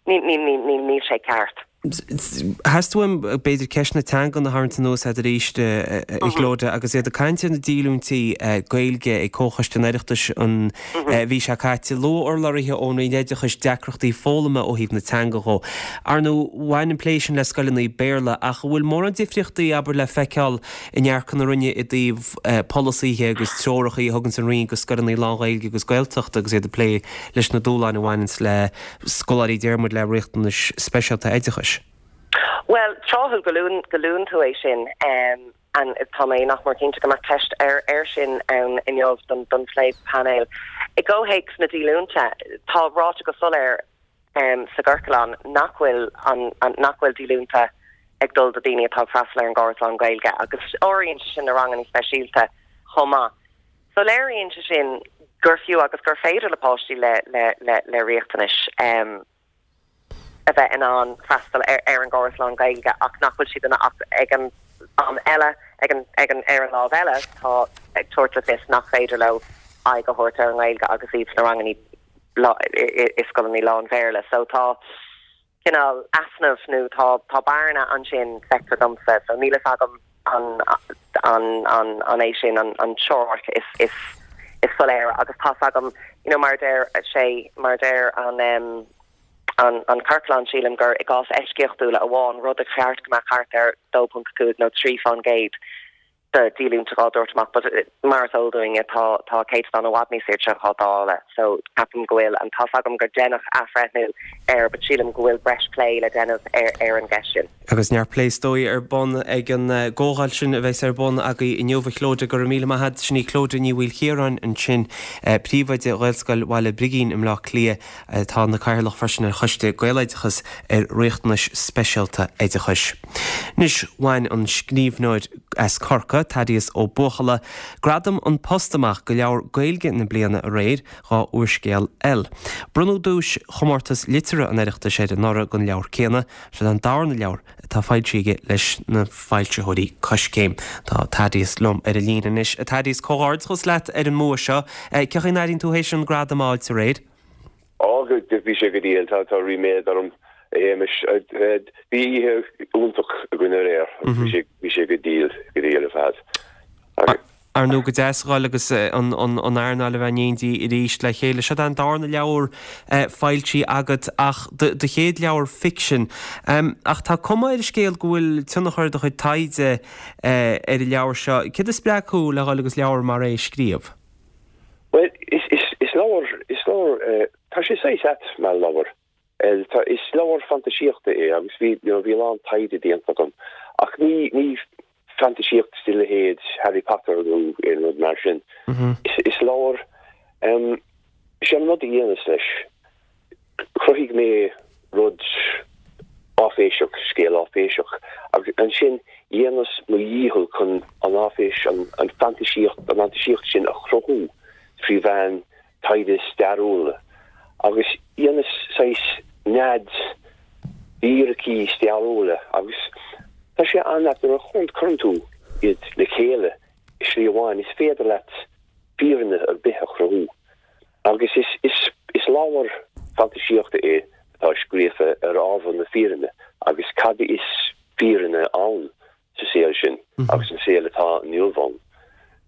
Ní ní ní níl sé ceart. Theastaigh uaim, b'fhéidir, ceist na teangan a tharraingt anuas agat arís, a Chlodagh, agus iad ag caint ar na díolúintí Gaeilge ag Comhchoiste an Oireachtais an mhí seo caite. Luaigh urlabhraithe ón Roinn Oideachais deacrachtaí foghlama ó thaobh na teanga dhó. Ar ndóigh, bhain an plé sin le scoileanna Béarla, ach an bhfuil mórán difríochtaí, abair, le feiceáil i ndearcadh na Roinne i dtaobh polasaithe agus treoracha a thuganns an Roinn go scoileanna lán-Ghaeilge agus Gaeltachta agus iad ag plé leis na dúshláin a bhaineanns le scoláirí deir muid le riachtanais speisialta oideachais. Bhuel, tráthúil go luann, go luann tú é sin, and tá mé nach mór cinnte go mbeadh ceist ar, air sin ann inniu don, don phlé painéil. I gcomhthéacs na díolúinte, tá ráite go soiléir sa gciorclán nach bhfuil an, an, nach bhfuil díolúinte ag dul do daoine atá ag freastal ar an gcóras lán-Ghaeilge agus áiríonn sé sin na ranganna speisialta chomh maith. So léiríonn sé sin gur fiú agus gur féidir le páistí le le le riachtanais a bheith in ann freastal ar ar an gcóras lán-Ghaeilge ach nach bhfuil siad in ach ag an am eile ag an ag an ar an lámh eile tá ag tabhairt le fios nach féidir leo aghaidh a thabhairt ar an nGaeilge agus iad sna ranganna i i scoileanna lán-Bhéarla. So tá cineál easnamh nó tá tá bearna ansin, feictear domsa, so níl fhios agam an an an an é sin an an teoiric is is is soiléire agus tá's agam you know mar a deir sé mar a deir an em an an ciorclán sílim gur i gcás eisceachtúla amháin rud a cheart go mbeadh thart ar 2.5 nó 3 fán gcéad de dhíolúinte dhá dtabhairt amach but mar is eol dúinn tá tá céatadán i bhfad níos airde dhá dháileadh so ceapaim go bhfuil an tá's agam gur deineadh athbhreithniú air but sílim go bhfuil breis plé le déanamh ar ar an gceist sin. Agus neart plé is dóigh ar bun ag an gcomhdháil sin a bheas ar bun agaibh inniu a Chlodagh. Go raibh míle maith agat. Sin í Clodagh Ní Mhaoilchiaráin ansin, Príomhoide Ghaelscoil Bhaile Brigín i mBleá Cliath. atá ina cathaoirleach freisin ar Choiste Gaeloideachas ar Riachtanais Speisialta Oideachais. Anois, bhain an scríbhneoir as Corcaigh, Thaddeus Ó Buachalla, gradam An Post amach do leabhar Gaeilge na bliana aréir, dhá úrscéal eil. Bronnadh duais Chomórtas Liteartha an Oireachtais air anuraidh don leabhar céanna. Seo an darna leabhar atá foilsithe aige leis na foilsitheoirí Coiscéim. Tá Thaddeus liom ar an líne anois. A Thaddeus, comhghairdeachas leat ar an mbua seo. Cén chaoi a n-airíonn tú théis an gradam a fháilt aréir? Á, bhí sé go diail. Tá ríméad orm, a Shéamais. Bhí oíche iontach againn aréir agus bhí sé go diail, go diail ar fad. Ar ndóigh, go deas a dhul agus an earnáil a bheith in éindí arís le chéile. Seo an darna leabhar foilsithe agat ach do chéad leabhar ficsin. Ach tá cuma ar an scéal go bhfuil tionchar do chuid taighde ar an leabhar seo. Céard a spreag thú le dhul agus leabhar mar é a scríobh? Bhuel, is leabhar, is leabhar, tá sé saghas ait mar leabhar. Tá, is leabhar fantaisíochta é agus bhí, you know, bhí a lán taighde déanta agam. Ach ní, ní fantaisíocht de leithéid Harry Potter nó aon rud mar sin. Is, is leabhar, em, sé an rud a dhéanas leis, chruthaigh mé rud áiféiseach, scéal áiféiseach, agus ansin dhéanas mo dhícheall chun an áiféis, an fantaisíocht, an fhantaisíocht sin a chruthú trí mheán taighde stairiúla. Agus dhéanas saghas nead d'fhíricí stairiúla agus tá sé an-ait nuair a chuireann tú iad le chéile i slí amháin, is féidir leat fírinne ar bith a chruthú. Agus is, is, is leabhar fantaisíochta é atá scríofa ar ábhar na fírinne agus cad is fírinne ann sa saol sin agus an saol atá inniu ann.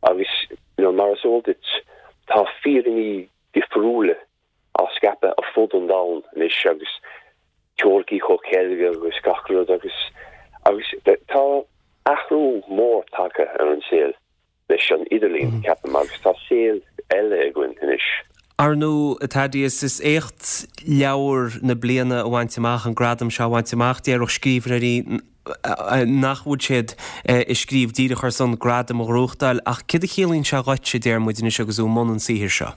Agus, you know, mar is eol duit, tá fírinní difriúla á scaipeadh ar fud an domhain anois agus teoiricí comhcheilge agus gach rud agus, agus tá athrú mór tagtha ar an saol. leis an idirlíon, ceapaim, agus tá saol eile againn anois. Ar ndóigh, a Thaddeus, is éacht leabhar na bliana a bhaint amach, an gradam seo a bhaint amach. Déarfadh scríbhneoirí nach bhfuil siad ag scríobh díreach ar son gradam a ghnóthachtáil, ach céard a chiallaíonn sé dhuitse, deir muid anois agus tú i mbun an tsaothair seo?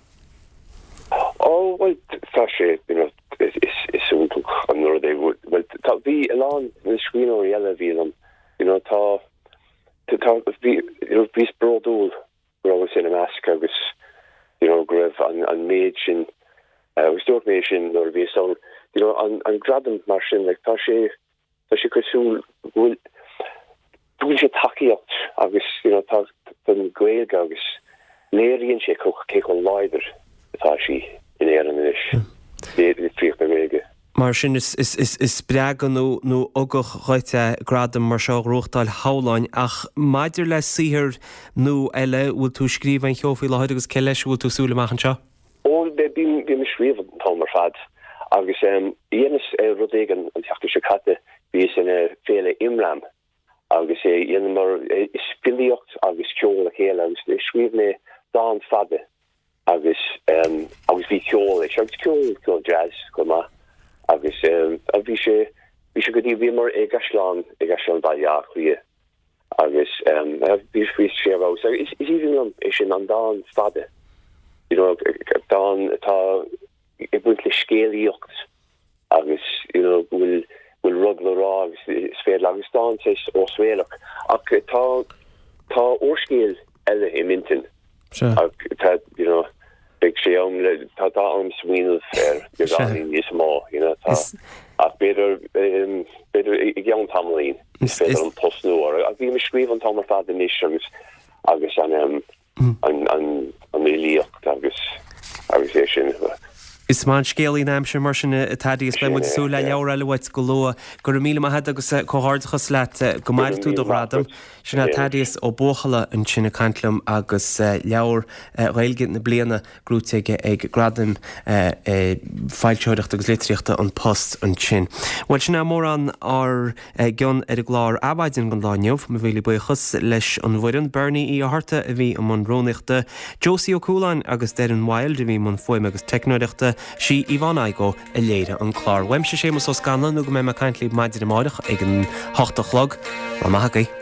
Ó, bhuel, tá sé, you know, is iontach an rud é, bhuel, tá, bhí a lán na scríbhneoirí eile a bhí liom, you know, tá, Tá, bhí, you know, bhíos bródúil go rabhas ina measc agus, you know, go raibh an, an méid sin, agus dúirt mé sin nuair a bhíos ann, you know, an, an gradam mar sin, like, tá sé, tá sé cosúil go bhfuil, tugann sé tacaíocht agus, you know, tá, don Ghaeilge agus léiríonn sé cé chomh láidir atá sí in Éirinn anois, litríocht na Gaeilge. Mar sin is spreagadh nó nó ugach dhuit é gradam mar seo a ghnóthachtáil shamhlóinn. Ach maidir le saothar nua eile, bhfuil tú ag scríobh aon cheo faoi láthair agus cé leis a bhfuil tú ag súil amach anseo? Ó, bím ag scríobh an t-am ar fad agus dheineas rud éigin an tseachtain seo caite, bhíos in Féile Imram agus dheineamar filíocht agus ceol le chéile agus scríobh mé dán fada agus agus bhí ceol leis agus ceol ceol jazz chomh maith agus bhí sé bhí sé go dtí bhíomar i gCaisleán i gCaisleán Bhaile Átha Cliath agus bhí bhí sé ar fheabhas agus is aoibhinn liom é sin an dán fada you know dán atá ag baint le scéalaíocht agus you know go bhfuil bhfuil rud le rá agus is féidir agus dán saghas osréalach ach tá tá úrscéal eile i m'intinn ach tá you know beidh sé am le tá tá am smaoineamh air beagáinín níos mó you know tá ach b'fhéidir b'fhéidir i gceann tamaillín is féidir liom tosnú air ach bím ag scríobh an t-am ar fad anois agus agus an an fhilíocht agus agus é sin. Is maith an scéalaí an aimsir mar sin a Thaddeus. Beidh muid ag súil le leabhar eile uait go luath. Go raibh míle maith agat agus comhghairdeachas leat. Go maire tú do ghradam. Sin é Thaddeus Ó Buachalla ansin ag caint liom agus leabhar Gaeilge na bliana gnóite aige ag Gradaim Foilsitheoireachta agus Litríochta An Post ansin. Bhuel, sin é mórán ár gcion ar an gclár Adhmhaidin don lá inniu. Mo mhíle buíochas leis an bhfoireann, Bernie Uí Fhátharta a bhí i mbun rúnaíochta, Josie Ó Cualáin agus Doireann Wilde a bhí i mbun fuaime agus teicneoireachta, sí Yvonne Igoe a léirigh an clár. Uaimse Séamus Ó Scanláin nó go mbeidh mé ag caint libh maidin amárach ag an hocht a chlog. Lá maith agaibh.